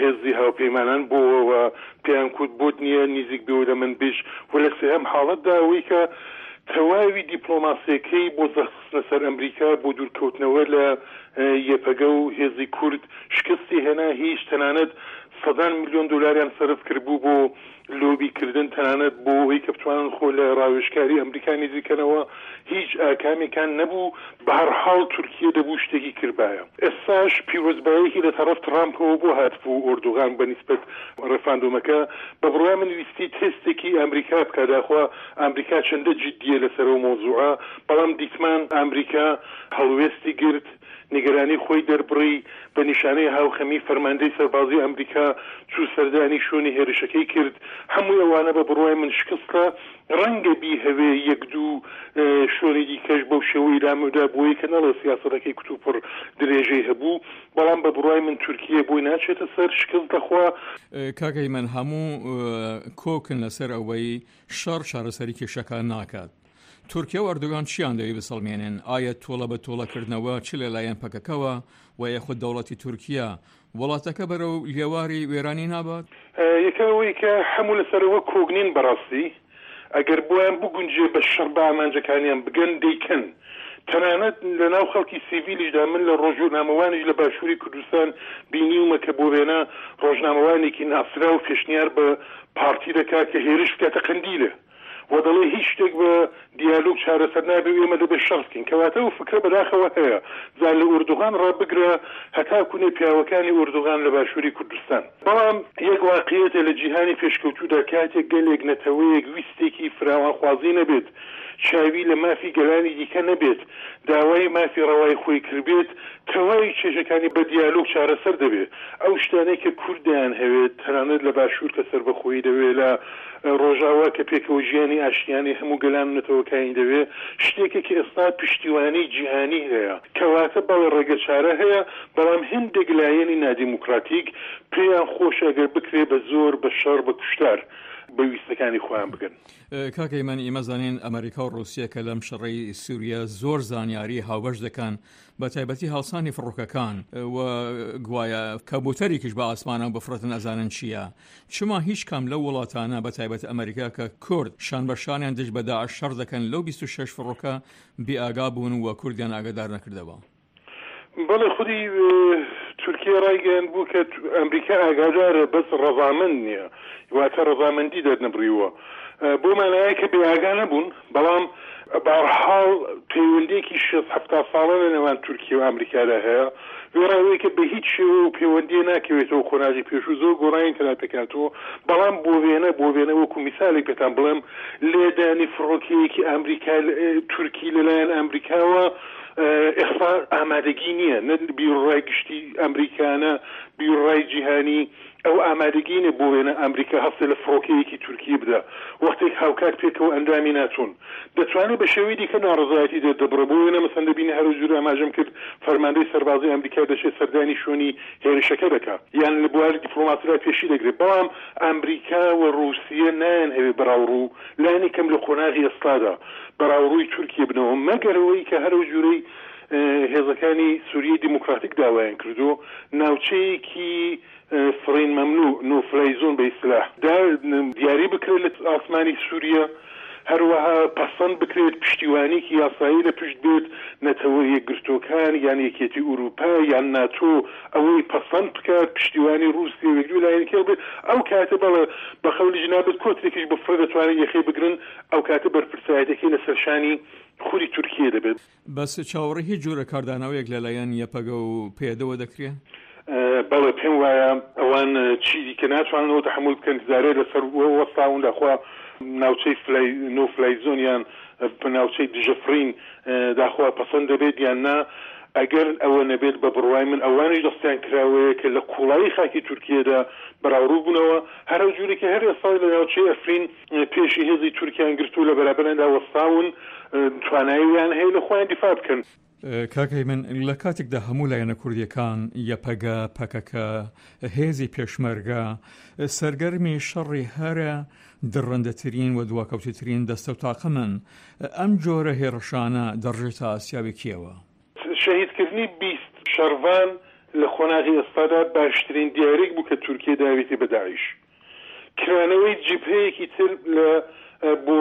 هێزی هاوپەیمانان بۆەوە پێیان کوت بۆت نییە نزیک بێەوە لە منبج. و لە سێهەم حاڵەتدا ئەوەی کە تەواوی دیپلۆماسیەکەی بۆ زەخستنە سەر ئەمریکا بۆ دوورکەوتنەوە لە یەپەگە و هێزی کورد شکستی هێنا. هیچ تەنانەت سەدان میلیۆن دلاریان سەرف کردبوو بۆ لۆبیکردن، تەنانەت بۆ ئەوەی کە بتوانن خۆ لە ڕاوێژکاری ئەمریکا نزیکەنەوە، هیچ ئاکامێکان نەبوو. بە هەر حاڵ تورکیە دەبوو شتێکی کردبایە. ئێستاش پیرۆزبایەکی لە تەڕەف ترامپەوە بۆ هاتبوو ئۆردوغان بە نیسبەت ڕێفراندۆمەکە. بە بڕوای من ویستی تێستێکی ئەمریکا بکە، داخوا ئەمریکا چەندە جدیە لەسەر ئەو مۆزوعە. بەڵام دیتمان ئەمریکا هەڵوێستی گرت، نیگەرانی خۆی دەربڕی، بە نیشانەی هاوخەمی فەرماندەی سەربازی ئەمریکا چوو سەردانی شوێنی هێرشەکەی کرد. هەمووی ئەوانە بە بڕوای من شکستە. ڕەنگە بیهەوێ یەک دوو شوێنی دیکەش بەو شێوەی لامەدا بۆیە کە نەڵێ سیاسەتەکەی کوتوپڕ درێژەی هەبوو، بەڵام بە بڕوای من تورکیە بۆی ناچێتە سەر، شکست دەخوا. کاکە من هەموو کۆکن لەسەر ئەوەی شەڕ چارەسەری کێشەکان ناکات. تورکیا و ئەردۆگان چیان دەوێت بسەڵمێنن؟ ئایا تۆڵە بە تۆڵەکردنەوە چ لەلایەن پەکەکەوە و یاخود دەوڵەتی تورکیا وڵاتەکە بەرەو لێواری وێرانی نابات؟ یەکەم ئەوەی کە هەموو لەسەرەوە کۆگنین بەڕاستی ئەگەر بۆیان بگونجێ بە شەڕ بە ئامانجەکانیان بگەن دەیکەن. تەنانەت لەناو خەڵکی سیڤیلیشدا من لە ڕۆژنامەوانیش لە باشووری کوردستان بینیومە کە بۆ وێنە ڕۆژنامەوانێکی ناسرا و پێشنیار بە پارتی دەکات کە هێرش بکاتە قەندیلە و دەڵێ هیچ شتێک بە دیالۆگ چارەسەر نابێ و ئێمە دەبێت شەڕ بکەین. کەواتە ئەو فکرە بەداخەوە هەیە، جا لە ئۆردوغان ڕابگرە هەتا کوونێ پیاوەکانی ئۆردوغان لە باشووری کوردستان. بەڵام یەک واقعیەتە لە جیهانی پێشکەوتوودا کاتێک گەلێک نەتەوەیەک ویستێکی فراوانخوازی نەبێت، چاوی لە مافی گەلانی دیکە نەبێت، داوای مافی ڕەوای خۆی کردبێت، تەواوی کێشەکانی بە دیالۆگ چارەسەر دەبێت. ئەو شتانەی کە کوردیان هەوێت، تەنانەت لە باشوور کە سەربەخۆیی دەوێت، لە ڕۆژاوا کە پێکەوە ژیانی ئاشتیانەی هەموو گەلان و نەتەوەکانی دەوێت، شتێکە کە ئێستا پشتیوانی جیهانی هەیە. کەواتە بەڵێ ڕێگەچارە هەیە، بەڵام هەندێک لایەنی نادیموکراتیک پێیان خۆشە ئەگەر بکرێ بە زۆر، بە شەڕ، بە کوشتار بە ویستەکانی خۆیان بگەن. کاکە ئیمان، ئێمە زانین ئەمریکا و ڕووسیا کە لەم شەڕەی سووریا زۆر زانیاری هاوبەش دەکەن، بە تایبەتی هەڵسانی فڕۆکەکان و گوایە کەبوتەرێکیش بە ئاسمانەوە بفڕێتن ئەزانن چییە. چما هیچ کام لەو وڵاتانە بە تایبەت ئەمریکا کە کورد شان بە شانیان دژ بە داعش شەڕ دەکەن لەو بیست و شەش فڕۆکە بێئاگا بوون و کوردیان ئاگادار نەکردەوە؟ بەڵێ، خودی تورکیا ڕایگەیاند بوو کە ئەمریکا ئاگادارە بەس ڕەزامەند نییە، واتە ڕەزامەندی دەرنەبڕیوە، بۆ مانایە کە بێئاگا نەبوون، بەڵام بەهەرحاڵ پەیوەندییەکی شێست حەفتا ساڵە لە نێوان تورکیا و ئەمریکادا هەیە، وێڕای ئەوەی کە بە هیچ شێوە و پەیوەندییە ناکەوێتەوە قۆناغی پێشوو زۆر گۆڕانی تێدا پێکهاتووە، بەڵام بۆ وێنە بۆ وێنە وەکوو میسالێک پێتان بڵێم لێدانی فڕۆکەیەکی ئەمریکا تورکی لەلایەن ئەمریکاوە ئێستا ئامادەگی نییە، نە بیروڕای گشتی ئەمریکا نە بیروڕای جیهانی ئەو ئامادەگی نیە بۆ وێنە ئەمریکا هەستێ لە فڕۆکەیەکی تورکیە بدا وەختێک هاوکات پێکەوە ئەندامی ناتۆن. دەتوانێ بە شێوەی دیکە ناڕەزایەتی دەردەبڕێ، بۆ وێنە مەسەن دەبینی هەر جور ئاماژەم کرد فەرماندەی سەربازی ئەمریکا دەچێ سەردانی شوێنی هێرشەکە دەکا یان لە بواری دیپلۆماسیدا پێشی دەگرێ، بەڵام ئەمریکا و ڕووسیە نایانهەوێ بەراوڕوو لانی کەم لە قۆناغی ئێستادا بەراوڕووی تورکیە بنەوە مەگەر ئەوەی کە هەر ئەو جورەی هێزەکانی سوریەی دیموکراتیک داوایان کردووە ناوچەیەکی فڕین مەمنوع، نۆ فلای زۆن بە ئیستلاح، دا دیاری بکرێت لە ئاسمانی سوریە، هەروەها پەسەند بکرێت پشتیوانیکی یاسایی لە پشت بێت، نەتەوە یەکگرتووەکان یان یەکێتی ئوروپا یان ناتۆ ئەوەی پەسەند بکات، پشتیوانی ڕووسیە و یەک دوو لایەنی کێڵ بێت، ئەو کاتە بەڵێ بە قەولی جنابت کۆترێکیش بفڕێ دەتوانن یەخەی بگرن، ئەو کاتە بەرپرسایەتیەکەی لەسەر شانی خودی تورکیە دەبێت. بەس چاوەڕێی هیچ جۆرە کاردانەوەیەک لە لایەن یەپەگە و پەیەدەوە دەکرێ؟ بەڵێ پێم وایە ئەوان چی دیکە ناتوانن ئەوە تەحەمول بکەن، جارێ لەسەر وەستاون داخوا ناوچەی فلای نۆ فلای زۆن یان ناوچەی دژە فڕین داخوا پەسەند دەبێت یان نا، ئەگەر ئەوە نەبێت بە بڕوای من ئەوانیش دەستیان کراوەیە کە لە قوڵایی خاکی تورکیەدا بەراوڕوو بوونەوە، هەر ئەو جورێک کە هەر ئێستا لە ناوچەی ئەفرین پێشی هێزی تورکیان گرتوو لە بەرابەریاندا وەستاون تواناییان هەیە لە خۆیان دیفاع بکەن. کاک هەیمن، لە کاتێکدا هەموو لایەنە کوردییەکان، یەپەگە، پەکەکە، هێزی پێشمەرگە، سەرگەرمی شەڕی هەرە دڕندەترین و دواکەوتووترین دەستە و تاقمن، ئەم جۆرە هێڕشانە دەڕژێتە ئاسیاوی کێوە؟ شەهیدکردنی بیست شەڕڤان لە قۆناغی ئێستادا باشترین دیاریک بوو کە تورکیە داویەتی بە داعش. کرانەوەی جبهەیەکی تر لە بۆ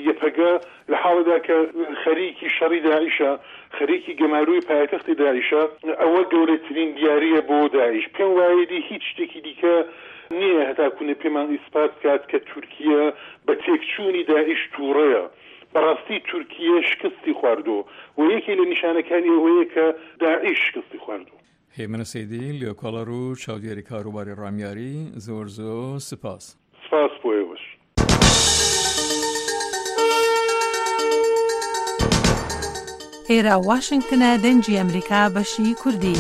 یەپەگە لە حاڵێدا کە خەریکی شەڕی داعشە، خەریکی گەمارۆی پایتەختی داعشە، ئەوە گەورەترین دیارییە بۆ داعش. پێم وایە دی هیچ شتێکی دیکە نییە هەتاکوونێ پێمان ئیسپات بکات کە تورکیە بە تێکچوونی داعش تووڕەیە. بەڕاستی تورکیە شکستی خواردووە و یەکێ لە نیشانەکانی ئەوەیە کە داعش شکستی خواردووە. هێمن سەیدی، لێکۆڵەر و چاودێری کاروباری ڕامیاری، زۆر زۆر سپاس. سپاس بۆ ئێوەش. ئێرە واشنگتنە دەنگی ئەمریکا بەشی کوردی.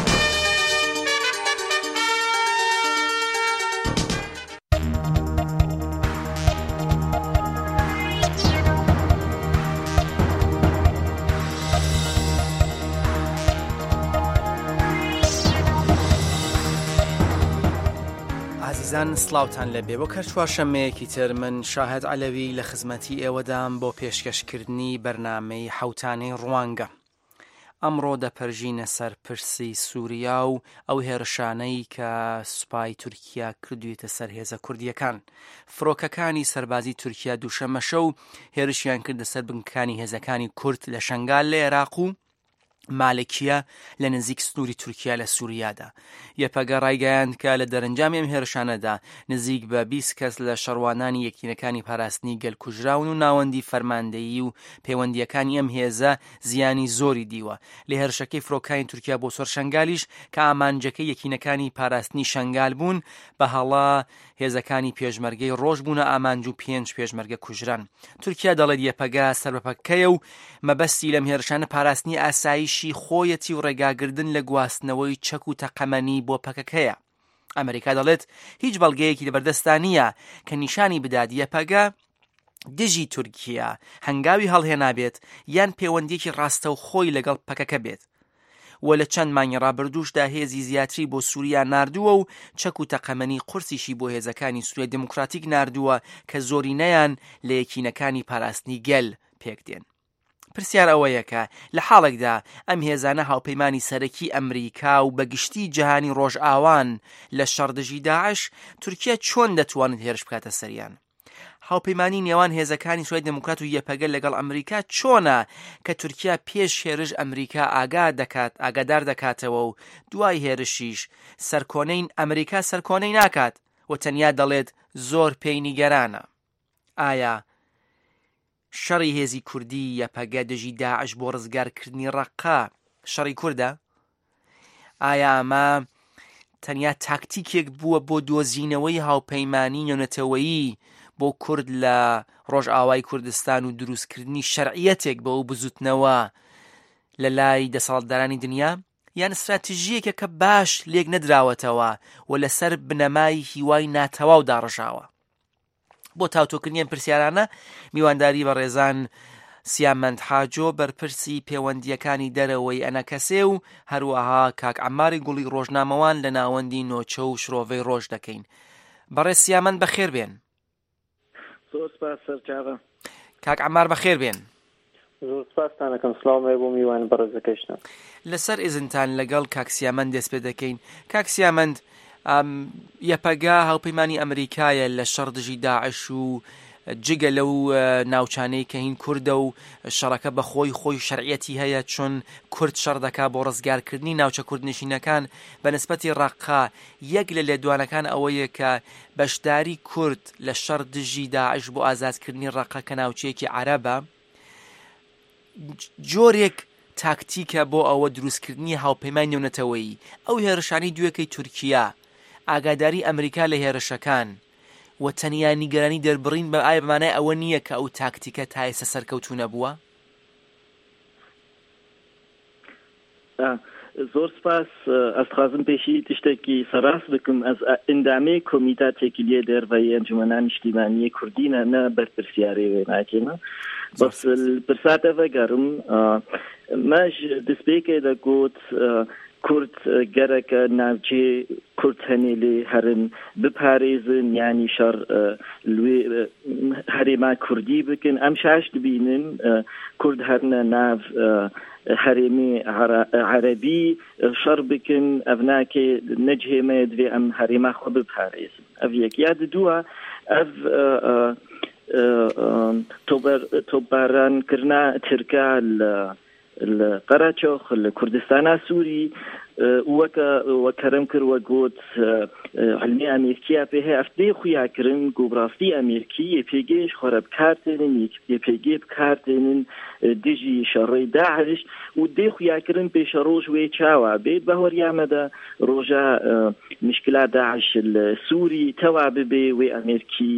ئازیزان سڵاوتان لەبێ وەک هەر چوارشەممەیەکی تر من شاهد عەلەوی لە خزمەتی ئێوەدام بۆ پێشکەشکردنی بەرنامەی حەوتانەی ڕوانگە. ئەمڕۆ دەپەرژینە سەر پرسی سووریا و ئەو هێرشانەی کە سوپای تورکیا کردوێتە سەر هێزە کوردیەکان. فڕۆکەکانی سەربازی تورکیا دووشەممە شەو هێرشیان کردە سەر بنکەکانی هێزەکانی کورد لە شەنگال لە عێراق و مالکیە لە نزیک سنووری تورکیا لە سووریادا. یەپەگە ڕایگەیاند کە لە دەرەنجامی ئەم هێرشانەدا نزیک بە بیست کەس لە شەڕوانانی یەکینەکانی پاراستنی گەل کوژراون و ناوەندی فەرماندەیی و پەیوەندییەکانی ئەم هێزە زیانی زۆری دیوە. لە هێرشەکەی فرۆکانی تورکیا بۆ سەر شەنگالیش کە ئامانجەکەی یەکینەکانی پاراستنی شەنگال بوون، بە هەڵە هێزەکانی پێشمەرگەی ڕۆژ بوونە ئامانج و پێنج پێشمەرگە کوژران. تورکیا دەڵێت یەپەگە سەر بە پەکەکەیە و مەبەستی لەم هێرشانە پاراستنی ئاسایشی خۆیەتی و ڕێگاگردن لە گواستنەوەی چەک و تەقەمەنی بۆ پەکەکەیە. ئەمریکا دەڵێت هیچ بەڵگەیەکی لەبەردەستا نییە کە نیشانی بدات یەپەگە دژی تورکیا هەنگاوی هەڵهێنابێت یان پەیوەندیەکی ڕاستەوخۆی لەگەڵ پەکەکە بێت. و لە چەند مانگی ڕابردووشدا هێزی زیاتری بۆ سووریا ناردووە و چەک و تەقەمەنی قورسیشی بۆ هێزەکانی سووریای دێموکراتیک ناردووە کە زۆرینەیان لە یەکینەکانی پاراستنی گەل پێکدێن. پرسیار ئەوەیە کە لە حاڵێکدا ئەم هێزانە هاوپەیمانی سەرەکی ئەمریکا و بەگشتی جیهانی ڕۆژئاوان لە شەڕ دژی داعش، تورکیا چۆن دەتوانێت هێرش بکاتە سەریان؟ هاوپەیمانی نێوان هێزەکانی سوریای دێموکرات و یەپەگە لەگەڵ ئەمریکا چۆنە کە تورکیا پێش هێرش ئەمریکا ئاگا دەکات ئاگادار دەکاتەوە و دوای هێرشیش سەرکۆنەی ئەمریکا سەرکۆنەی ناکات و تەنیا دەڵێت زۆر پێی نیگەرانە. ئایا شەڕی هێزی کوردی یەپەگە دژی داعش بۆ ڕزگارکردنی ڕەققە شەڕی کوردە؟ ئایا ئەمە تەنیا تاکتیکێک بووە بۆ دۆزینەوەی هاوپەیمانی نێونەتەوەیی بۆ کورد لە ڕۆژئاوای کوردستان و دروستکردنی شەرعیەتێک بە ئەو بزوتنەوە لە لای دەسەڵاتدارانی دنیا، یان استراتژیەکە کە باش لێک نەدراوەتەوە و لەسەر بنەمای هیوای ناتەواو داڕژاوە؟ بۆ تاوتۆکردنی ئەم پرسیارانە میوانداری بەڕێزان سیامەند حاجۆ بەرپرسی پەیوەندییەکانی دەرەوەی ئەنەکەسێ و هەروەها کاک عەماری گوڵی ڕۆژنامەوان لە ناوەندی نۆچە و شرۆڤەی ڕۆژ دەکەین. بەڕێز سیامەند بەخێر بێن. زۆر سپاس سەرچاوە. کاک عەمار بەخێر بێن. زۆر سپاستان ئەکەم، سڵاوم هەیە بۆ میوان بەڕێزەکەشتان. لەسەر ئیزنتان لەگەڵ کاک سیامەند دەست پێ دەکەین. کاک سیامەند، یەپەگە هاوپەیمانی ئەمریکایە لە شەڕ دژی داعش و جگە لەو ناوچانەی کە هین کوردە و شەڕەکە بە خۆی خۆی شەرعیەتی هەیە، چون کورد شەڕ دەکا بۆ ڕزگارکردنی ناوچە کوردنشینەکان بە نسبەتی ڕەققە. یەک لە لێدوانەکان ئەوەیە کە بەشداری کورد لە شەڕ دژی داعش بۆ ئازادکردنی ڕەققە کە ناوچەیەکی عەرەبە جۆرێک تاکتیکە بۆ ئەوە دروستکردنی هاوپەیمانی نێونەتەوەیی. ئەو هێرشانەی دوێکەی تورکیا، ئاگاداری ئەمریکا لە هێرشەکان و تەنیا نیگەرانی دەربڕین بە ئایا بەمانای ئەوە نییە کە ئەو تاکتیکە تا ئێستا سەرکەوتوو نەبووە؟ زۆر سپاس. ئەس دخوازم پێشی تشتێکی سەراست بکەم. ئەس ئەندامێ کۆمیتا تێکیلیە دەرڤەی ئەنجومەنا نیشتیمانیە کوردینە، نە بەرپرسیارێ وێ ناکێمە. بەس پرساتە ڤەگەرم مەژ دەستپێکێ دەگوت کورد گەرەکە ناوچێ کورد هەنێ لێ هەرن بپارێزن، یانی شەڕ لێ هەرێما کوردی بکەن. ئەم شاش دبینن کورد هەرنە ناو هەرێمی عەرەبی شەڕ بکەن، ئەv ناکێ نەجهێمە دوێ ئەم هەرێما خۆ بپارێزن. ئەv یەک. یا دووە ئەv تۆپبارانکردنا ترکا لە لە قەرەچۆخ لە کوردستانا سووری وەکە وەکەرم کرد وە گوت علمی ئەمریکیا پێ هەیە ئەف دێ خویاکردن گوبڕاستی ئەمریکی یەپێگەیش خۆرە بکارتێنن یەپێگێ بکارتێنن دژی شەڕەی داعش و دێ خویاکردن پێشە ڕۆژ وێ چاوە بێت بە هۆریامەدە ڕۆژە مشکلا داعش لە سووری تەوا ببێ وێ ئەمریکی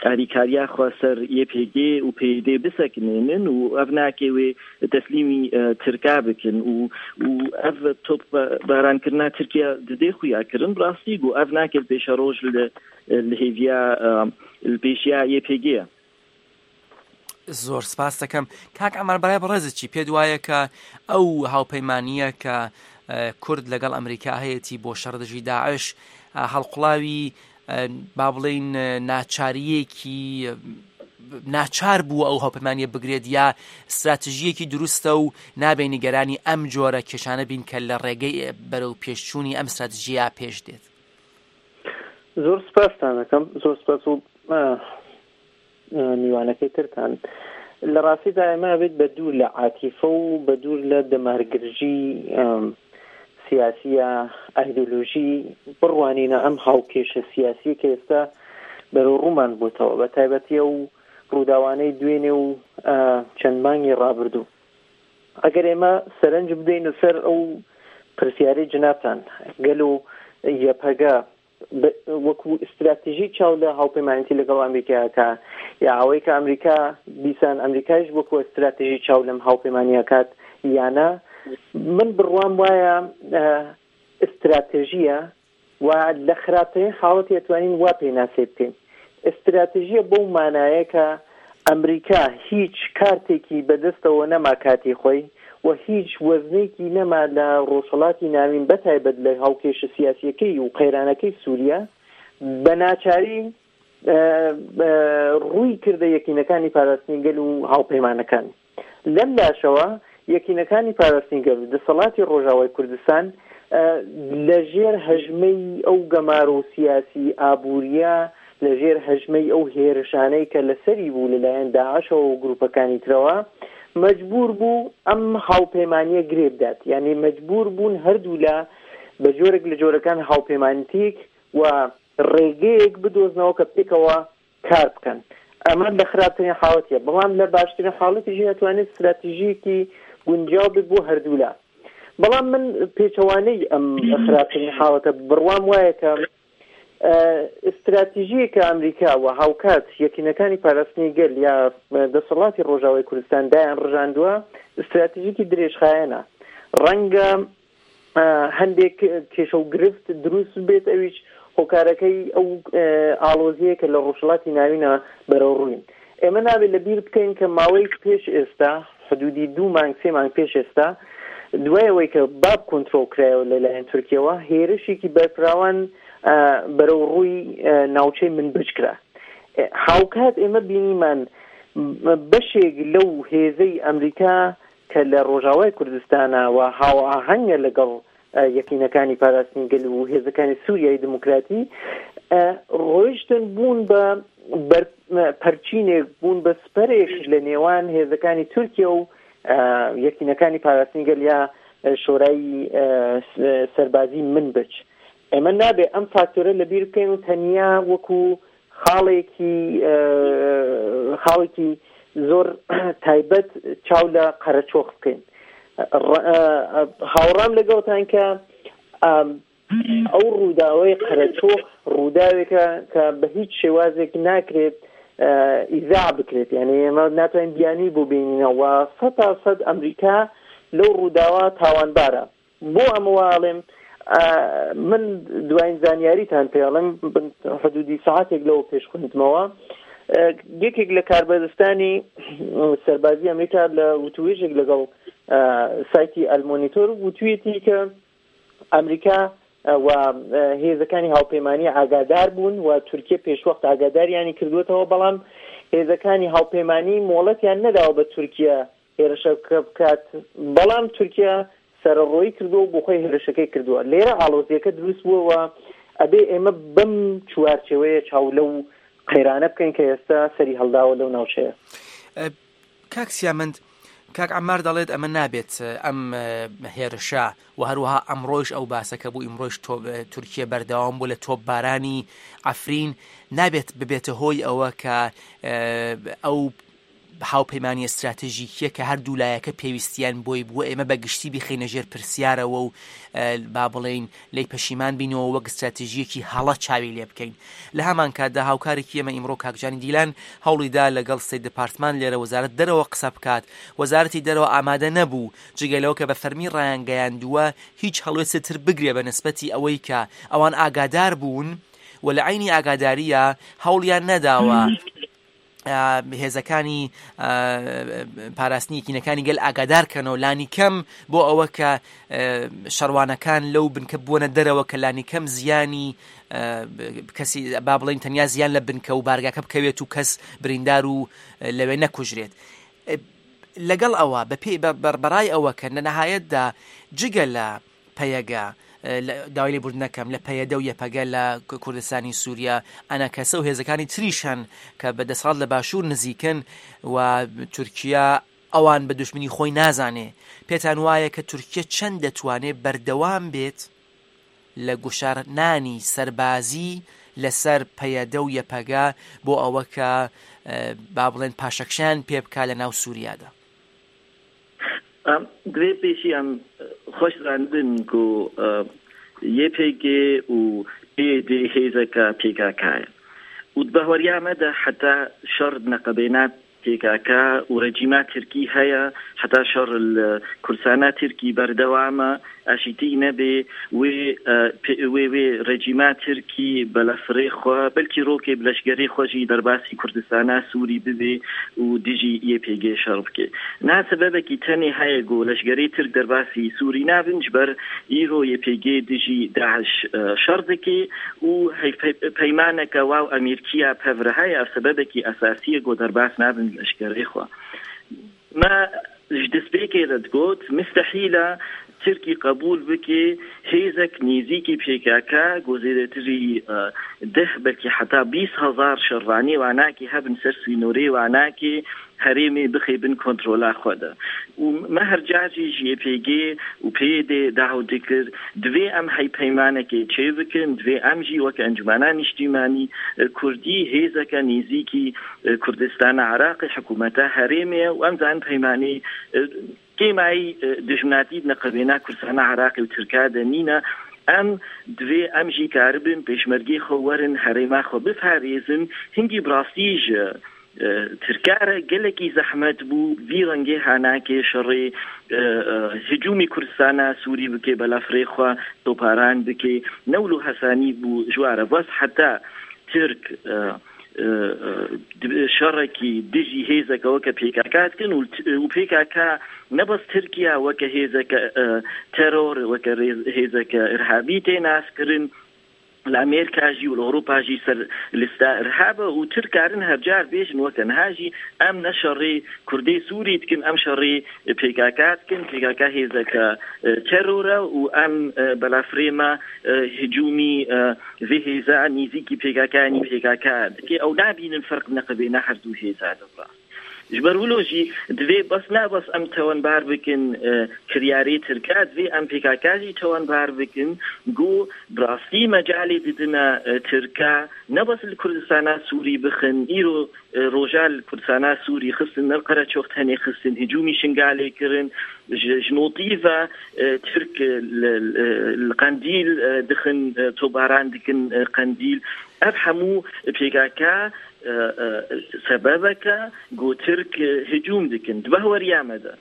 ئاریکاریا خوا سەر یەپێگێ و پێدێ بسەکنێنن و ئەv ناکێ وێ تەسلیمی ترکا بکەن و ئەv تۆپ بارانکردنا تورکیا ددێ خویاکردن ڕاستی بوو ئەv ناکرد پێشە ڕۆژ لە هێڤیا پێشیا یەپێگێ. زۆر سپاس دەکەم. کاک عەمار، بەڕای بەڕێزت چی پێت وایە کە ئەو هاوپەیمانییە کە کورد لەگەڵ ئەمریکا هەیەتی بۆ شەڕ دژی داعش هەڵقوڵاوی با بڵێین ناچاریەکی ناچار بووە ئەو هاوپەیمانیە بگرێت یا استراتژیەکی دروستە و نابێ نیگەرانی ئەم جۆرە کێشانە بین کە لە ڕێگەی بەرەو پێشچوونی ئەم استراتژیە پێش دێت؟ زۆر سپاستان دەکەم. زۆر سپاس و میوانەکەی ترتان. لە ڕاستیدا ئێمە بێت بە دوور لە عاتیفە و بە دوور لە دەمارگرژی سیاسیە ئایدۆلۆژی بڕوانینە ئەم هاوکێشە سیاسی کە ئێستا بەرەو ڕوومان بووتەوە، بە تایبەتی ئەو ڕووداوانەی دوێنێ و چەند مانگی ڕابردوو. ئەگەر ئێمە سەرنج بدەین سەر ئەو پرسیارەی جنابتان، گەلو یەپەگە وەکو استراتژی چاو لە هاوپەیمانەتی لەگەڵ ئەمریکاکە یا ئەوەی کە ئەمریکا دیسان ئەمریکایش وەکو استراتژی چاو لەم هاوپەیمانیەکات یانە، من بڕوام وایە استراتژیە و لە خراپترین حاڵەتی ئەتوانین وا پێناسەی بکەین. استراتژیە بەو مانایە کە ئەمریکا هیچ کارتێکی بەدەستەوە نەما کاتی خۆی و هیچ وەزنێکی نەما لە ڕۆژهەڵاتی ناوین بەتایبەت لە هاوکێشە سیاسیەکەی و قەیرانەکەی سووریا، بە ناچاری ڕووی کردە یەکینەکانی پاراستنی گەل و هاوپەیمانەکان. لەم لاشەوە یەکینەکانی پاراستنی گەل و دەسەڵاتی ڕۆژاوای کوردستان لەژێر هەژمەی ئەو گەمار و سیاسی ئابووریە لەژێر هەژمەی ئەو هێرشانەی کە لەسەری بوو لەلایەن داعشەوە و گروپەکانی ترەوە مەجبور بوو ئەم هاوپەیمانیە گرێ بدات. یعنی مەجبور بوون هەردوولا بە جۆرێک لە جۆرەکان هاوپەیمانیتێک و ڕێگەیەک بدۆزنەوە کە پێکەوە کار بکەن. ئەمە لە خراپترین حاڵەتیە، بەڵام لە باشترین حاڵەتیش ئەتوانێت استراتیژیەکی گونجاو بێت بۆ هەردوولا. بەڵام من پێچەوانەی ئەم خراپترین حاڵەتە بڕوام وایە کە استراتیژیەکە ئەمریکا و هاوکات یەکینەکانی پاراستنی گەل یا دەسەڵاتی ڕۆژاوای کوردستان دایان ڕژاندووە استراتیژیکی درێژخایەنە. ڕەنگە هەندێک کێشە و گرفت دروست بێت، ئەویش هۆکارەکەی ئەو ئاڵۆزیە کە لە ڕۆژهەڵاتی ناوینە بەرەو ڕووین. ئێمە نابێت لەبیر بکەین کە ماوەی پێش ئێستا حدودی دوو مانگ سێ مانگ پێش ئێستا دوای ئەوەی کە باب کۆنترۆڵ کرایەوە لەلایەن تورکیەوە هێرشێکی بەرفراوان بەرەو ڕووی ناوچەی منبج کرا. هاوکات ئێمە بینیمان بەشێک لەو هێزەی ئەمریکا کە لە ڕۆژاوای کوردستانە و هاوئاهەنگە لەگەڵ یەکینەکانی پاراستنی گەل و هێزەکانی سووریای دموکراتی ڕۆیشتن بوون بە پەرچینێک، بوون بە سپەرێک لە نێوان هێزەکانی تورکیا و یەکینەکانی پاراستنی گەل یا شۆرای سەربازی منبج. ئێمە نابێ ئەم فاکتۆرە لەبیر بکەین و تەنیا وەکو خاڵێکی خاڵێکی زۆر تایبەت چاو لە قەرەچۆخ بکەین. هاوڕام لەگەڵتان کە ئەو ڕووداوەی قەرەچۆخ ڕووداوێکە کە بە هیچ شێوازێک ناکرێت ئیزا بکرێت، یعنی ئێمە ناتوانین بیانوی بۆ بینینەوە. سەد تا سەد ئەمریکا لەو ڕووداوە تاوانبارە. بۆ ئەمە واڵێم من دوایین زانیاریتان پێڵم حدودی ساعتێک لەوە پێش خوێندمەوە، یەکێک لە کاربەدەستانی سەربازی ئەمریکا لە وتوێژێک لەگەڵ سایتی ئەلمۆنیتۆر وتوێتی کە ئەمریکا و هێزەکانی هاوپەیمانی ئاگادار بوون و تورکیا پێشوەخت ئاگاداریانی کردوێتەوە، بەڵام هێزەکانی هاوپەیمانی مۆڵەتیان نەداوە بە تورکیا هێرشەکە بکات، بەڵام تورکیا سەرڕۆیی کردووە و بۆ خۆی هێرشەکەی کردووە. لێرە ئاڵۆزیەکە دروست بووەوە. ئەبێ ئێمە بەم چوارچێوەیە چاو لەو قەیرانە بکەین کە ئێستا سەری هەڵداوە لەو ناوچەیە. کاک سیامەند، کاک عەمار دەڵێت ئەمە نابێت ئەم هێرشە و هەروەها ئەمڕۆیش ئەو باسەکە بوو، ئیمڕۆیش تورکیا بەردەوام بوو لە تۆپبارانی عەفرین، نابێت ببێتە هۆی ئەوە کە ئەو هاوپەیمانی استراتژیکیە کە هەردوو لایەکە پێویستیان بۆی بووە ئێمە بە گشتی بخەینە ژێر پرسیارەوە و با بڵێین لی پەشیمان بینەوە وەک استراتژیەکی هەڵە چاوی لێ بکەین. لە هەمان کاتدا هاوکارێکی ئێمە ئیمڕۆ کاکجانی دیلان هەوڵیدا لەگەڵ State Department لێرە وەزارەت دەرەوە قسە بکات. وەزارەتی دەرەوە ئامادە نەبوو، جگە لەوە کە بە فەرمی ڕایانگەیاندووە هیچ هەڵوێستێ تر بگرێ بە نسبەتی ئەوەی کە ئەوان ئاگادار بوون و لە عینی ئاگاداریە هەوڵیان نەداوە هێزەکانی پاراستنی یەکینەکانی گەل ئاگادار کەنەوە لانی کەم بۆ ئەوە کە شەڕوانەکان لەو بنکە بووەنە دەرەوە کە لانی کەم زیانی کەسی با بڵێن تەنیا زیان لە بنکە و بارگاکە بکەوێت و کەس بریندار و لەوێ نەکوژرێت. لەگەڵ ئەوە بەپێی بەڕای ئەوە کە لە نەهایەتدا جگە لە پەیەگە داوای لێبوردنەکەم لە پەیەدە و یەپەگە لە کوردستانی سووریا ئەنەکەسە و هێزەکانی تریشن کە بە دەسەڵات لە باشوور نزیکن و تورکیا ئەوان بە دوشمنی خۆی نازانێ. پێتان وایە کە تورکیا چەند دەتوانێت بەردەوام بێت لە گوشارنانی سەربازی لەسەر پەیەدە و یەپەگە بۆ ئەوە کە با بڵێن پاشەکشیان پێ بکا لە ناو سووریادا؟ دوێ پێشی ئەم خۆش زاندن کو یەپێگێ و پێدێ هێزەکە پێکاکایە و بەهۆریامەدا حتا شەڕ نەقەبێنات پێکاکا و ڕێجیما تورکی هەیە، حتا شەڕ کوردستانە تورکی بەردەوامە ئاشیتی نەبێ وێ وێ وێ ڕێجیما تورکی بەلەفرێ خوا بەلکی ڕۆکێ بلەشگەری خۆشی دەرباسی کوردستانە سووری ببێ و دژی یەپێگێ شەڕ بکێ. نا سەبەبێکی تەنێ هەیە گۆ لەشگەری تورک دەرباسی سووری نابن جبەر ئیرۆ یەپێگێ دژی داعش شەڕ دەکێ و پەیمانەکە واو ئەمیرکیا پەڤرە هەیە سەبەبێکی ئەساسیە گۆ دەرباس نابن لەشگەری خوا. ما دەستپێکێ دەتگوت مستحیلە Tirkî qebûl bike hêzek nêzîkî P K K ku zêdetirî deh belkî heta bîst hezar şervanî wanakî hebin ser sînorê wanakî herêmê bixê bin kontrola xwe de. Û me her car jî ji Y P G û P Y D daw dikir divê em heypeymanekê çê bikin, divê em jî weke Encumena Nîştîmanî Kurdî hêzeke nêzîkî Kurdistana Iraqê hikûmeta herêmê ye û em zanin peymanê kêmayî dijminatî neqebêna Kurdistana Iraqê û Tirka de nîne. Em divê em jî karibin pêşmergê xwe werin herêma xwe biparêzin. Hingî bi rastî ji Tirka re gelekî zehmet bû vî rengê hanakê şerê hicûmî Kurdistana Sûrî bike, belafrê xwe toparan bike newlu hesanî bû ji ware bes heta Tirk şerekî dijî hêzeke weke P K K dikin û P K K ne bes Tirkiya weke hêzeke teror weke hêzeke îrhabî tê naskirin, li Amerîka jî û li Ewropa jî ser lista îrhaba û Tirk karin her car bêjin weke niha jî em ne şerê Kurdê Sûrî dikin, em şerê P K K dikin, P K K hêzeke teror e û em belafrê me hicûmî vê hêza nêzîkî P K K nî P K K dike. Ew nabînin ferq neqebêna her du hêza de rast. Ji ber wilo jî divê bes ne bes em tewanbar bikin kiryarê Tirka, divê em P K K jî tewanbar bikin ku bi rastî mecalê didine Tirka ne bes li Kurdistana Sûrî bixin. Îro roja li Kurdistana Sûrî xistin ne Qereçox tenê xistin, hicûmî Şingalê kirin, ji notî ve Tirk li Qendîl dixin, tobaran dikin Qendîl. Ev hemû P K K sebebeke ku Tirk hicûm dikin. Di behweriya me de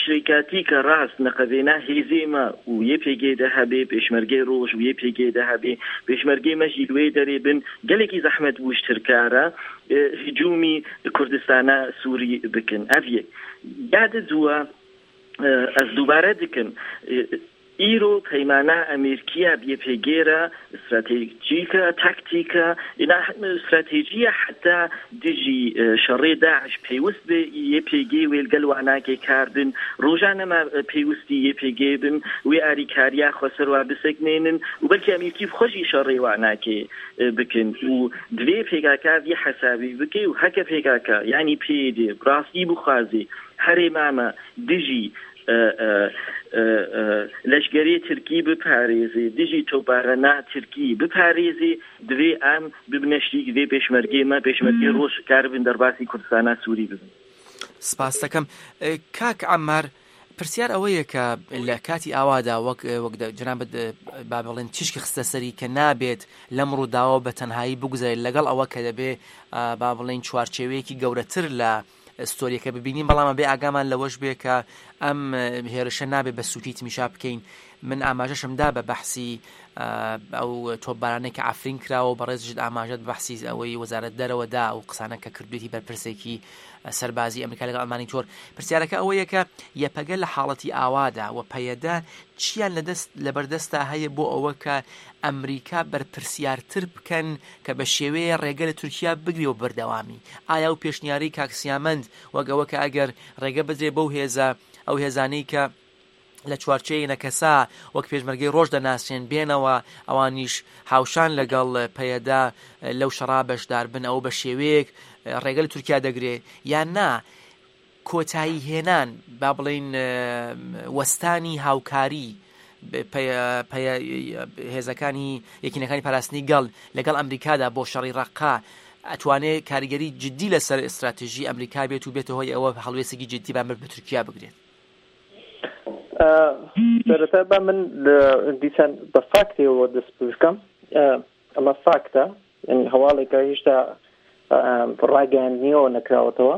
şirikatîka rast neqevêna hêzê me û Y P G de hebê, pêşmergê roj û Y P G de hebê, pêşmergê me jî li wê derê bin, gelekî zehmet bû ji Tirka re hicûmî Kurdistana Sûrî bikin. Ev yek. Ya di dûwa ez dubare dikim îro peymana Amerîkiya bi Y P G re stratejîka taktîka ina stratejiya heta dijî şerê Daeş pêwist be Y P G wê li gel wanakê kar bin, rojane me pêwistî Y P G bin wê alîkariya xwe ser wa biseknênin û belkî Amerîkî bi xwe jî şerê wanakê bikin û divê P K K vî hesabî bike û heke P K K yanî P Y D bi rastî bixwazê herêma me dijî leşkerê Tirkî biparêzê, dijî toparana Tirkî biparêzê, divê em bibine şirîk vê pêşmergê me, pêşmergê roj karibin derbasî Kurdistana Sûrî bibin. سپاس دەکەم کاک عەمار. پرسیار ئەوەیە کە لە کاتی ئاوادا وەک وەک جەنابت با بڵێن تیشکی خستە سەری کە نابێت لەم ڕووداوە بە تەنهایی بگوزارێت، لەگەڵ ئەوە کە دەبێ با بڵێن چوارچێوەیەکی گەورەتر لە ستۆریەکە ببینین، بەڵام بێ ئاگامان لەوەش بێ کە ئەم هێرشە نابێ بە سووکی تمیشا بکەین. من ئاماژەشم دا بە بەحسی ئەو تۆپبارانەی کە عەفرین کراوە و بەڕێزیشت ئاماژەت بەحسی ئەوەی وەزارەت دەرەوە دا و قسانە کە کردوێتی بەرپرسێکی سەربازی ئەمریکا لەگەڵ ئەلمانیتۆر. پرسیارەکە ئەوەیە کە یەپەگە لە حاڵەتی ئاوادا و پەیەدە چیان لەدەست لەبەردەستا هەیە بۆ ئەوە کە ئەمریکا بەرپرسیارتر بکەن کە بە شێوەیە ڕێگە لە تورکیا بگرێ و بەردەوامی؟ ئایا و پێشنیاری کاک سیامەند وەک ئەوە کە ئەگەر ڕێگە بدرێ بەو هێزە ئەو هێزانەی کە لە چوارچێوەی نەکەسا وەک پێشمەرگەی ڕۆژ دەناسرێن بێنەوە ئەوانیش هاوشان لەگەڵ پەیەدا لەو شەڕا بەشدار بن، ئەو بە شێوەیەک ڕێگە لە تورکیا دەگرێ یان نا کۆتایی هێنان با بڵین وەستانی هاوکاری هێزەکانی یەکینەکانی پاراستنی گەڵ لەگەڵ ئەمریکادا بۆ شەڕی ڕەقا ئەتوانێت کاریگەری جدی لەسەر ئیستراتژی ئەمریکا بێت و بێتە هۆی ئەوە هەڵوێستێکی جدی بەرامبەر بە تورکیا بگرێت؟ سەرەتا با من دیسان بە فاکتێەوە دەست بکەم. ئەمە فاکتە، هەواڵێکە هێشتا ڕاگەیاندنیەوە نەکراوەتەوە.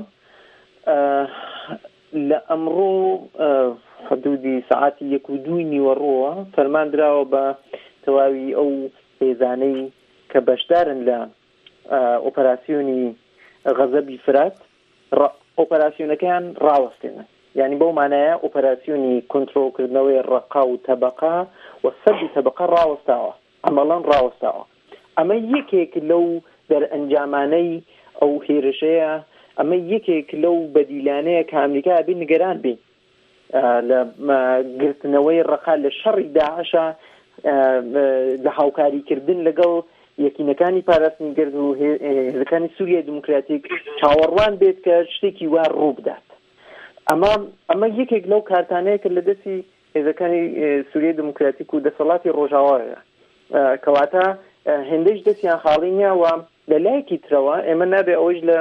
لە ئەمڕۆ حدودی سەعاتی یەک و دووی نیوەڕۆوە فەرمان دراوە بە تەواوی ئەو هێزانەی کە بەشدارن لە ئۆپەراسیۆنی غەزەبی فرات ئۆپەراسیۆنەکەیان ڕاوەستێنن. یعنی بەو مانایە ئۆپەراسیۆنی کۆنترۆڵکردنەوەی ڕەقا و تەبەقا و سەدی تەبەقە ڕاوەستاوە، ئەمەڵەن ڕاوەستاوە. ئەمە یەکێک لەو دەرئەنجامانەی ئەو هێرشەیە، ئەمە یەکێک لەو بەدیلانەیە کە ئەمریکا بێ نیگەران بین. لە گرتنەوەی ڕەقا لە شەڕی داعشە لە هاوکاریکردن لەگەڵ یەکینەکانی پاراستنی گەل و هێزەکانی سووریای دیموکراتیک چاوەڕوان بێت کە شتێکی وا ڕوو بدات. ئەمە ئەمە یەکێک لەو کارتانەیە کە لە دەستی هێزەکانی سووریای دیموکراتیک و دەسەڵاتی ڕۆژاوایە، کەواتە هێندەیش دەستیان خاڵی نییە. و لە لایەکی ترەوە ئێمە نابێ ئەوەیش لە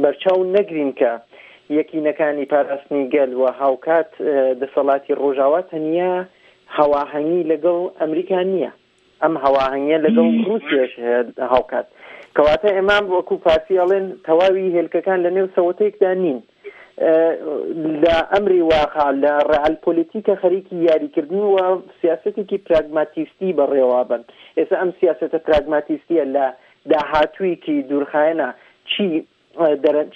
بەرچاو نەگرین کە یەکینەکانی پاراستنی گەل و هاوکات دەسەڵاتی ڕۆژاوا تەنیا هەواهەنگی لەگەڵ ئەمریکا نییە، ئەم هەواهەنگیە لەگەڵ ڕووسیاش هەیە هاوکات. کەواتە ئێمە وەکو فارسی ئەڵێن تەواوی هێلکەکان لە نێو سەوتێکدا نین. لە ئەمری واقع لە ڕئال پۆلیتیکە خەریکی یاریکردن و سیاسەتێکی پراگماتیستی بەڕێوابن. ئێستا ئەم سیاسەتە پراگماتیستیە لە داهاتوویەکی دوورخایەنە چی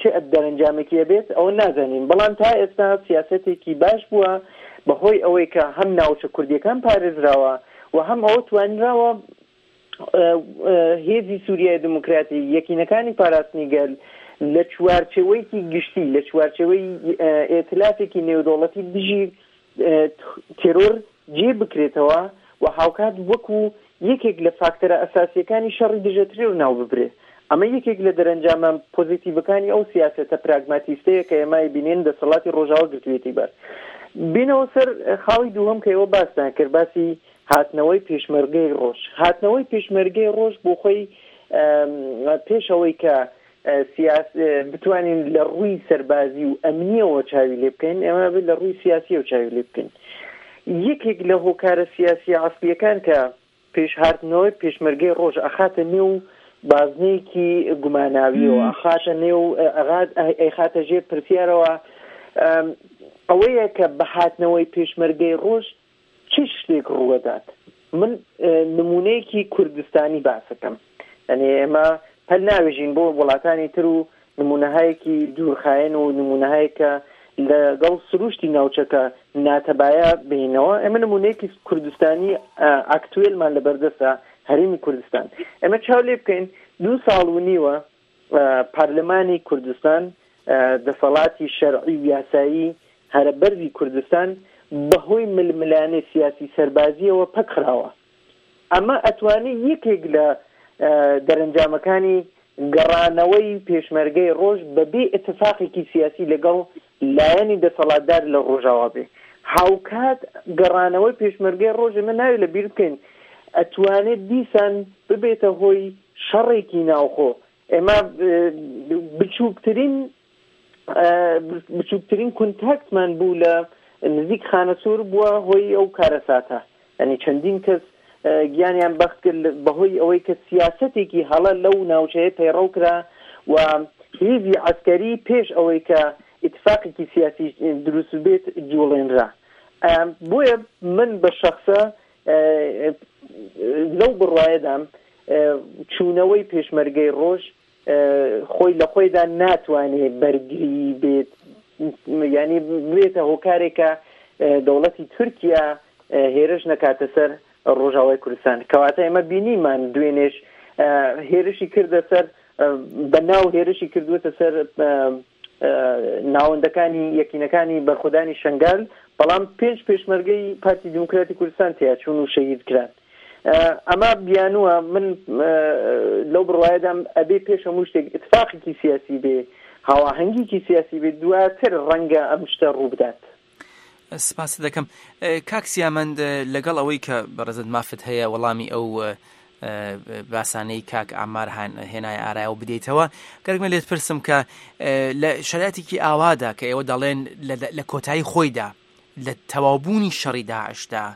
چ دەرەنجامێکی ئەبێت ئەوە نازانین، بەڵام تا ئێستا سیاسەتێکی باش بووە بەهۆی ئەوەی کە هەم ناوچە کوردیەکان پارێزراوە و هەم ئەوە توانراوە هێزی سووریای دیموکراتی یەکینەکانی پاراستنی گەل لە چوارچێوەیەکی گشتی لە چوارچێوەی ئێتلافێکی نێودەوڵەتی دژی تێرۆر جێ بکرێتەوە و هاوکات وەکو یەکێک لە فاکتەرە ئەساسیەکانی شەڕی دژە تێرۆر ناو ببرێ. ئەمە یەکێک لە دەرەنجامە پۆزیتیڤەکانی ئەو سیاسەتە پراگماتیستەیە کە ئێمە بینین دەسەڵاتی ڕۆژاوا گرتوویەتی بەر. بینەوە سەر خاڵی دووهەم کە ئێوە باستان کرد، باسی هاتنەوەی پێشمەرگەی ڕۆژ. هاتنەوەی پێشمەرگەی ڕۆژ بۆ خۆی پێشەوەی کە سیاس بتوانین لە ڕووی سەربازی و ئەمنیەوە چاوی لێ بکەین، ئێمە بێت لە ڕووی سیاسیەوە چاوی لێ بکەین. یەکێک لە هۆکارە سیاسی عەسڵیەکان کە پێشهاتنەوەی پێشمەرگەی ڕۆژ ئەخاتە نێو بازنەیەکی گوماناویەوە، ئەخاتە نێو ئەیخاتە ژێر پرسیارەوە، ئەوەیە کە بە هاتنەوەی پێشمەرگەی ڕۆژ چ شتێک ڕووەدات. من نمونەیەکی کوردستانی باسەکەم، یعنی ئێمە پەل ناوێژین بۆ وڵاتانی تر و نمونەهایەکی دوورخایەن و نمونەهایەکە لەگەڵ سروشتی ناوچەکە ناتەبایە بینەوە. ئێمە نمونەیەکی کوردستانی ئاکتوێلمان لەبەردەستە، هەرێمی کوردستان. ئێمە چاو لێ بکەین دوو ساڵ و نیوە پەرلەمانی کوردستان دەسەڵاتی شەرعی و یاسایی هەرە بەرزی کوردستان بەهۆی ململانێ سیاسی سەربازیەوە پەکخراوە. ئەمە ئەتوانێت یەکێک لە دەرەنجامەکانی گەڕانەوەی پێشمەرگەی ڕۆژ بەبێ ئتفاقێکی سیاسی لەگەڵ لایەنی دەسەڵاتدار لە ڕۆژاوا بێ. هاوکات گەڕانەوەی پێشمەرگەی ڕۆژ ئێمە ناوی لەبیر بکەین ئەتوانێت دیسان ببێتە هۆی شەڕێکی ناوخۆ. ئێمە بچووکترین بچووکترین کۆنتاکتمان بوو لە نزیک خانەسوور بووە هۆی ئەو کارەساتە، یعنی چەندین کەس گیانیان بەخت کرد بەهۆی ئەوەی کە سیاسەتێکی هەڵە لەو ناوچەیە پەیڕەو کرا و هێزی عەسکەری پێش ئەوەی کە ئیتفاقێکی سیاسی دروست بێت جوڵێنرا. بۆیە من بە شەخسە لەو بڕوایەدام چوونەوەی پێشمەرگەی ڕۆژ خۆی لە خۆیدا ناتوانێت بەرگری بێت، یعنی بێتە هۆکارێکە دەوڵەتی تورکیا هێرش نەکاتە سەر ڕۆژاوای کوردستان. کەواتە ئێمە بینیمان دوێنێش هێرشی کردە سەر بەناو هێرشی کردووەتە سەر ناوەندەکانی یەکینەکانی بەرخۆدانی شنگال، بەڵام پێنج پێشمەرگەی پارتی دیموکراتی کوردستان تیاچوون و شەهید کران. ئەمە بیانووە. من لەو بڕوایەدام ئەبێ پێش هەموو شتێک ئتفاقێکی سیاسی بێ، هاواهەنگیکی سیاسی بێ، دواتر ڕەنگە ئەم شتە ڕوو بدات. سپاست دەکەم کاک سیامەند. لەگەڵ ئەوەی کە بەڕێزت مافت هەیە وەڵامی ئەو باسانەی کاک عەمار هێنای ئارایەوە بدەیتەوە، گەرگمە لێت پرسم کە لە شەرایتێکی ئاوادا کە ئێوە دەڵێن لە کۆتایی خۆیدا لە تەواوبوونی شەڕی داعشدا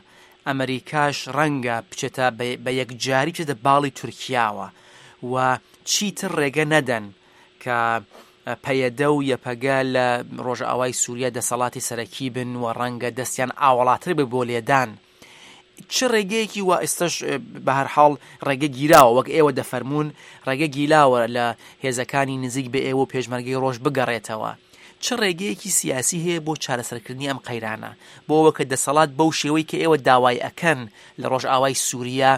ئەمریکاش ڕەنگە بچێتە بە یەکجاری بچێتە باڵی تورکیاوە و چیتر ڕێگە نەدەن کە پەیەدە و یەپەگە لە ڕۆژئاوای سووریا دەسەڵاتی سەرەکی بن و ڕەنگە دەستیان ئاوەڵاتر بێ بۆ لێدان. چ ڕێگەیەکی وا ئێستاش بە هەر حاڵ ڕێگە گیراوە وەک ئێوە دەفەرموون ڕێگە گیلاوە لە هێزەکانی نزیک بە ئێوە و پێشمەرگەی ڕۆژ بگەڕێتەوە، چ ڕێگەیەکی سیاسی هەیە بۆ چارەسەرکردنی ئەم قەیرانە بۆ ئەوە کە دەسەڵات بەو شێوەی کە ئێوە داوای ئەکەن لە ڕۆژئاوای سووریا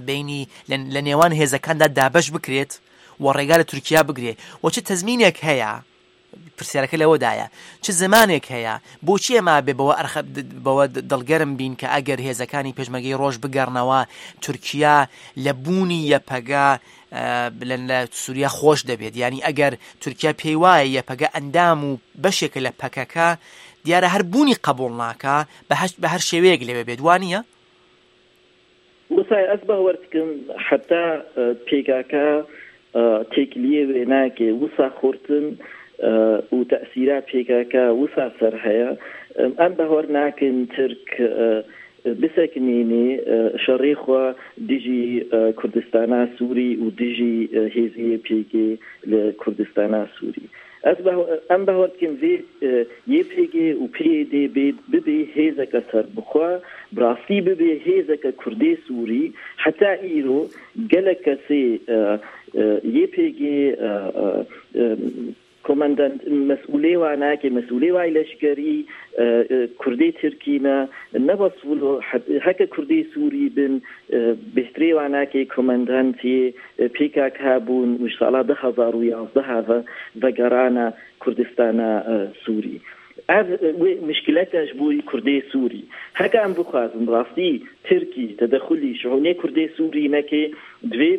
بینی لە نێوان هێزەکاندا دابەش بکرێت و ڕێگا لە تورکیا بگرێت، و چ تەزمینێک هەیە پرسیارەکە لەوەدایە چ زمانێک هەیە؟ بۆچی ئێمە بێ بەوە ئەرخە بەوە دڵگەرم بین کە ئەگەر هێزەکانی پێشمەرگەی ڕۆژ بگەڕنەوە تورکیا لە بوونی یەپەگە لە سووریا خۆش دەبێت؟ یعنی ئەگەر تورکیا پێی وایە یەپەگە ئەندام و بەشێکە لە پەکەکە، دیارە هەر بوونی قبوڵ ناکا بە هەر شێوەیەک لەوێ بێت، وانییە؟ وسای ئەس باوەر دکم حتا پێکاکە تێکلیە وێ ناکێ وسا خورتن و تەئسیرا پێکاکە وسا سەر هەیە. ئەم باوەر ناکن ترک بسەکنینێ شەڕێ خوا دژی کوردستانا سووری و دژی هێزیە پێگێ لە کوردستانا سووری. ئەم باوەر دکم vê YPG û PYD bibê hêzeke serbixwe, bi rastî bibê hêzeke Kurdê Sûrî. Heta îro gelek kesê YPG komandant مسئولê wan nake, مسئولê wan leşkerî Kurdê Tirkî ne, ne bas heke Kurdê Sûrî bin bêhtirê wan nake komandantê PKK bûn û ji sala du hezar û yazdeh ve vegerana Kurdistana Sûrî. Ev wê mişkileke ji bo Kurdê Sûrî. Heke em bixwazin rastî Tirkî tedexulî şiûnê Kurdê Sûrî neke, divê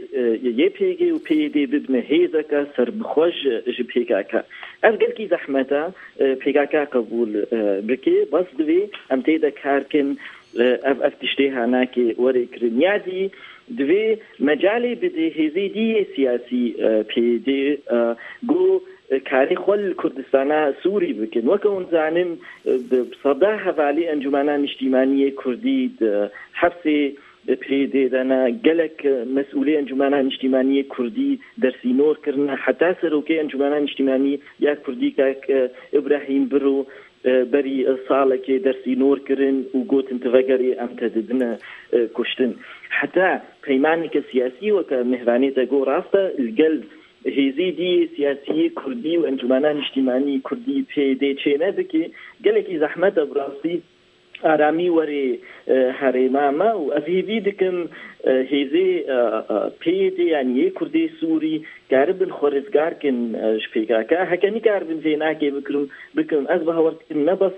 YPG û PYD bibine hêzeke serbixwe ji PKK. Ev gelekî zehmet e PKK qebûl bike, bas divê em tê de kar kin ev ev tiştê hanakê were kirin. Ya dî divê mecalê bide hêzê dî yê siyasî PYD got karê xwe li Kurdistana Sûrî bikin. Weke hûn zanin bi seda hevalê Encûmena Niştîmaniyê Kurdî di hefsê PYD de ne, gelek mesûlê Encûmena Niştîmaniyê Kurdî dersînor kirine, heta serokê Encûmena Niştîmanî ya Kurdî kak İbrahîm Biro berî salekê dersînor kirin û gotin tu vegerê em te didine kuştin. Heta peymaneke siyasî weke mehvanê te got rast e li gel هێزی دی سیاسی کوردی و ئەنجومەنە نیشتیمانی کوردی PYD چێ نەبکێ، gelekî zehmet e bi rastî ئارامی وەرێ هەرێما me û ez hêvî dikim hêzê PYD yani yê Kurdê Sûrî karibin xwe rizgar kin ji PKK. Heke nikaribin vê nakê bikirim bikim ez bawer dikim ne bes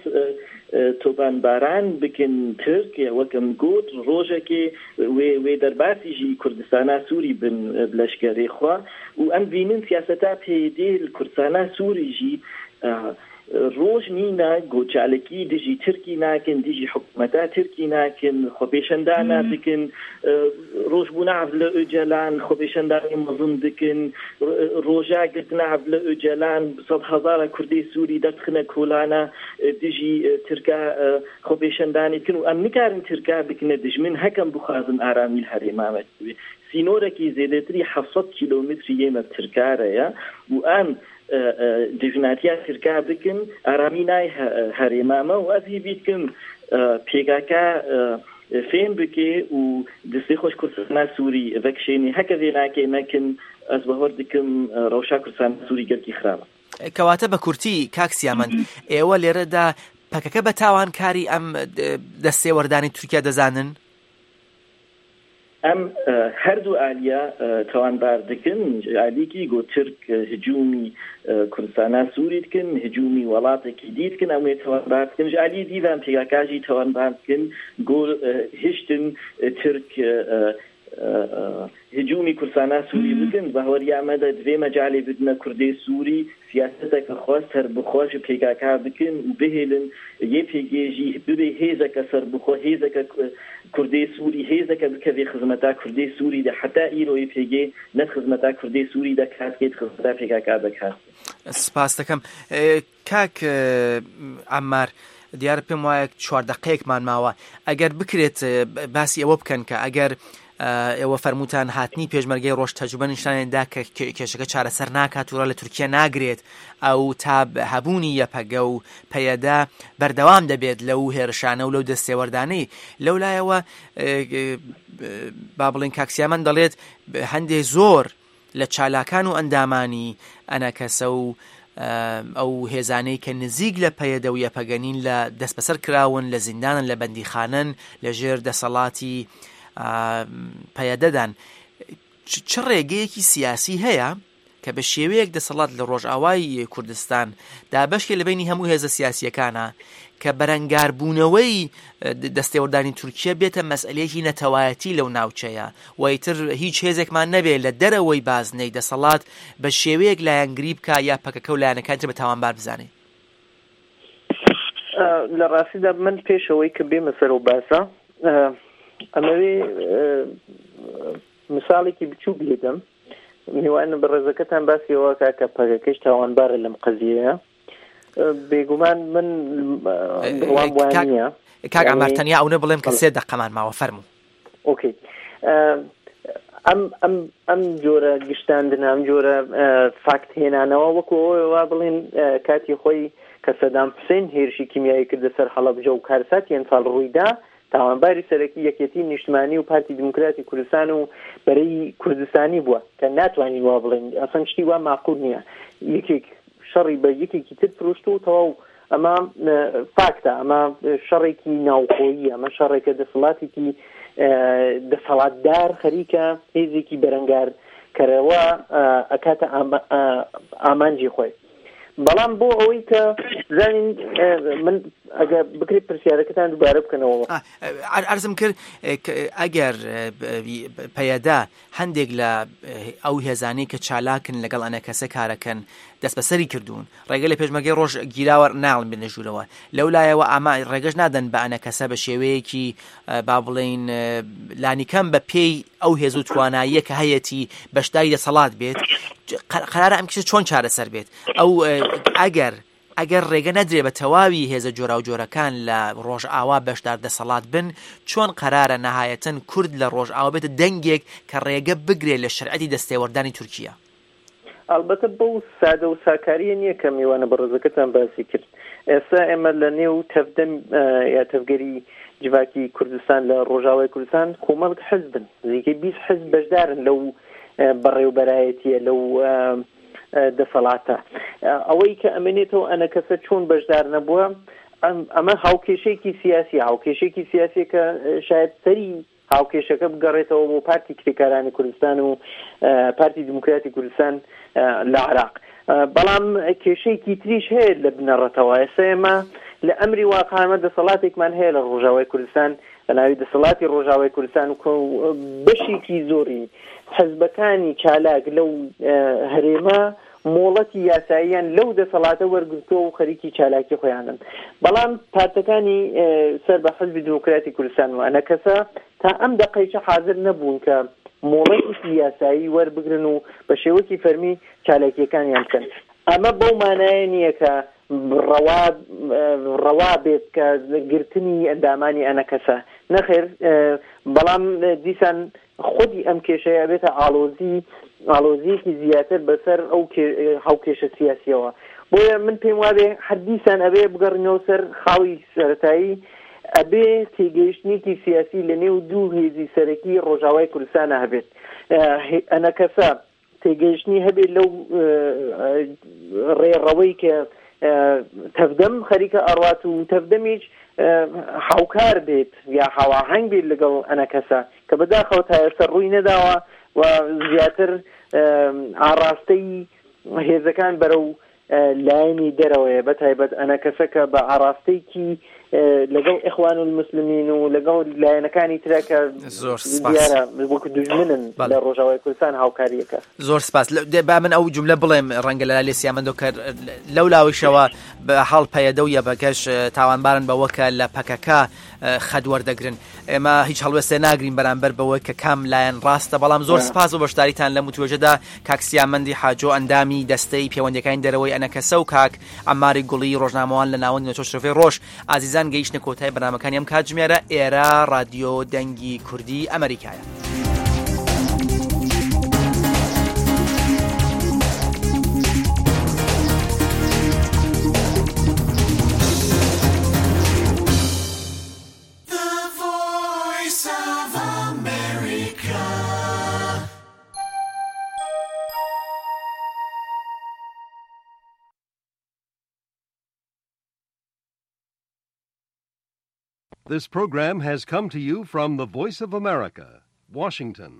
tobanbaran bikin Tirk wek em got rojekê wê wê derbasî jî Kurdistana Sûrî bin bi leşkerê xwe û em bînin siyaseta PYD li Kurdistana Sûrî jî roj nîne got çalakî dijî Tirkî nakin, dijî hikûmeta Tirkî nakin, xwepêşandana dikin, rojbûna Abdullah Öcalan xwepêşandanê mezin dikin, roja girtina Abdullah Öcalan sed hezara Kurdê Sûrî derdixine kolana dijî Tirka xwepêşandanê dikin û em nikarin Tirka bikine dijmin hekem bixwazin aramî li herêma me. Sînorekî zêdetirî heft sed kîlometrî yê me bi Tirka re ye û em dijminatiya Tirka bikin aramî nayê herêma me û ez hêvî dikim PKK fêm bike û destê xwe ji Kurdistana Sûrî vekişênê. Heke vê nakê nekin ez bawer dikim rewşa Kurdistana Sûrî gelekî xirab e. کەواتە بە کورتی کاک سیامەند، ئێوە لێرەدا پەکەکە بە تاوانکاری ئەم دەستێوەردانی تورکیا دەزانن؟ ئەم هەردوو ئالیا تاوانبار دکن، ئالیکی گۆ ترک هجومی کوردستانا سووری دکن، هجومی وڵاتێکی دی دکن، ئەم وێ تاوانبار دکن. ji aliyê dî ve em PKK jî tawanbar dikin got hiştin Tirk هجومی Kurdistana Sûrî bikin. Baweriya me de divê mecalê bidine Kurdê Sûrî siyaseteke xwe serbixwe ji PKK bikin û bihêlin YPG jî bibe hêzeke serbixwe, hêzeke Kurdê Sûrî, hêzeke bikeve xizmeta Kurdê Sûrî de. Heta îro YPG ne xizmeta Kurdê Sûrî de kar dike, xizmeta PKK de kar dike. سپاس دەکەم. کاک عەممار، دیارە پێم وایە چوار دەقەیەکمان ماوە، ئەگەر بکرێت باسی ئەوە بکەن کە ئەگەر ئێوە فەرمووتان هاتنی پێشمەرگەی ڕۆژ تەجروبە نیشانیان دا کە کێشەکە چارەسەر ناکات و ڕا لە تورکیا ناگرێت، ئەو تا هەبوونی یەپەگە و پەیەدە بەردەوام دەبێت لەو هێرشانە و لەو دەستێوەردانەی. لەو لایەوە با بڵێن کاک سیامەند دەڵێت هەندێک زۆر لە چالاکان و ئەندامانی ئەنەکەسە و ئەو هێزانەی کە نزیک لە پەیەدە و یەپەگەنین لە دەستبەسەر کراون، لە زیندانن، لە بەندیخانەن، لە ژێر دەسەڵاتی پەیەدەدان. چ ڕێگەیەکی سیاسی هەیە کە بە شێوەیەک دەسەڵات لە ڕۆژئاوای کوردستان دابەشکێ لە بینی هەموو هێزە سیاسیەکانە کە بەرەنگاربوونەوەی دەستێوەردانی تورکیا بێتە مەسئلەیەکی نەتەوایەتی لەو ناوچەیە و ئیتر هیچ هێزێکمان نەبێت لە دەرەوەی بازنەی دەسەڵات بە شێوەیەک لایەنگری بکا یا پەکەکە و لایەنەکانی تر بە تاوانبار بزانێ. لە ڕاستیدا من پێشەوەی کە بێمە سەر و باسە ئەمەوێ مثالێکی بچووک لێدەم. میوان بەڕێزەکەتان باسی ئەوە کا کە پەکەکەش تاوانبارە لەم قەزیەیە. بێگومان من بڕوام وان نییە. کاک عەمار تەنیا ئەو نە بڵێم کە سێ دەقەمان ماوە، فەرموو. ئۆکەی، ئەم ئەم ئەم جۆرە گشتاندنە، ئەم جۆرە فاکت هێنانەوە وەکو ئەوەی وا بڵێن کاتی خۆی کە سەدام حوسێن هێرشی کیمیایی کردە سەر حەڵەبجە و کارساتی ئەنفال ڕوویدا، تاوانباری سەرەکی یەکێتی نیشتمانی و پارتی دیموکراتی کوردستان و بەرەی کوردستانی بووە کە ناتوانین وا بڵێن، ئەسڵەن شتی وا ماقول نییە. یەکێک شەڕی بە یەکێکی تر فرۆشت و تەواو. ئەمە فاکتە، ئەمە شەڕێکی ناوخۆیی، ئەمە شەڕێکە دەسەڵاتێکی دەسەڵاتدار خەریکە هێزێکی بەرەنگار کەرەوە ئەکاتە ئامانجی خۆی. بەڵام بۆ ئەوەی کە زانین من ئەگەر بکرێت پرسیارەکەتان دووبارە بکەنەوە. عەرزم کرد ئەگەر پەیەدە هەندێک لە ئەو هێزانەی کە چالاکن لەگەڵ ئەنەکەسە کارەکەن دەست بەسەری کردوون، ڕێگە لە پێشمەرگەی ڕۆژ گیراوە ناڵن بێنە ژوورەوە، لەو لایەوە ئاما ڕێگەش نادەن بە ئەنەکەسە بە شێوەیەکی با بڵێین لانیکەم بە پێی ئەو هێز و تواناییە کە هەیەتی بەشداری دەسەڵات بێت. قەرارە ئەم کێشە چۆن چارەسەر بێت؟ ئەو ئەگەر ئەگەر ڕێگە نەدرێ بە تەواوی هێزە جۆراوجۆرەکان لە ڕۆژئاوا بەشدار دەسەڵات بن، چۆن قەرارە نەهایەتەن کورد لە ڕۆژئاوا بێتە دەنگێک کە ڕێگە بگرێ لە شەرعەتی دەستێوەردانی تورکیا؟ ئەلبەتە بەو سادە و ساکاریە نییە کە میوانە بەڕێزەکەتان باسی کرد. ئێستا ئێمە لە نێو تەڤدەم یا تەڤگەری جڤاکی کوردستان لە ڕۆژاوای کوردستان کۆمەڵک حزبن، نزیکەی بیست حزب بەشدارن لەو بەڕێوبەرایەتیە، لەو دەسەڵاتە. ئەوەی کە ئەمێنێتەوە ئەنەکەسە چۆن بەشدار نەبووە، ئەمە هاوکێشەیەکی سیاسی، هاوکێشەیەکی سیاسی کە شاید سەری هاوکێشەکە بگەڕێتەوە بۆ پارتی کرێکارانی کوردستان و پارتی دیموکراتی کوردستان لە عراق. بەڵام کێشەیەکی تریش هەیە لە بنەڕەتەوە. ئێستا ئێمە لە ئەمری واقعامە دەسەڵاتێکمان هەیە لە ڕۆژاوای کوردستان بە ناوی دەسەڵاتی ڕۆژاوای کوردستان و بەشێکی زۆری حزبەکانی چالاک لەو هەرێمە مۆڵەتی یاساییان لەو دەسەڵاتە وەرگرتووە و خەریکی چالاکی خۆیانن. بەڵام پارتەکانی سەر بە حزبی دیموکراتی کوردستان و ئەنەکەسە تا ئەم دەقەیچە حاضر نەبوون کە مۆڵەتێکی یاسایی وەربگرن و بە شێوەکی فەرمی چالاکیەکانیان بکەن. ئەمە بەو مانایە نییە کە ڕەوا ڕەوا بێت کە گرتنی ئەندامانی ئەنەکەسە، نەخێر. بەڵام دیسان خودی ئەم کێشەیە بێتە ئالۆزی ئالۆزیەکی زیاتر بەسەر ئەو هاوکێشە سیاسیەوە. بۆیە من پێم وابێ هەر دیسان ئەبێ بگەڕینەوە سەر خاڵی سەرەتایی، ئەبێ تێگەیشتنێکی سیاسی لە نێو دوو هێزی سەرەکی ڕۆژاوای کوردستانە هەبێت. ئەنەکەسە تێگەیشتنی هەبێت لەو ڕێڕەوەی کە تەڤدەم خەریکە ئەڕوات و تەڤدەمیش هاوکار بێت یا هاواهەنگ بێت لەگەڵ ئەنەکەسە کە بەداخەوە تا ئێستا ڕووی نەداوە و زیاتر ئاراستەی هێزەکان بەرەو لایەنی دەرەوەیە، بە تایبەت ئەنەکەسە کە بە ئاراستەیەکی لەگەڵ ئیخوان المسلمین و لەگەڵ لایەنەکانی ترە کە زۆر سپاس دیارە وەکو دوژمنن لە ڕۆژاوای کوردستان هاوکاریەکە. زۆر سپاس. با من ئەو جملە بڵێم ڕەنگە لە لای سیامەندۆ کە لەو لاویشەوە بە حاڵ پەیەدە و یەبەکەش تاوانبارن بەوە کە لە پەکەکە خەد وەردەگرن. ئێمە هیچ هەڵوێستێ ناگرین بەرامبەر بەوەی کە کام لایەن ڕاستە، بەڵام زۆر سپاس بۆ بەشداریتان لە وتوێژەدا کاک سیامەندی حاجۆ ئەندامی دەستەی پەیوەندیەکانی دەرەوەی ئەنەکەسە و کاک عەماری گوڵی ڕۆژنامەوان لە ناوەندی نەتەوە شرۆڤەی ڕۆژ. ئازیزان گەیشتنە کۆتای بەرنامەکانی ئەم کاتژمێرە. ئێرە ڕادیۆ دەنگی کوردی ئەمریکایە. This program has come to you from the Voice of America, Washington.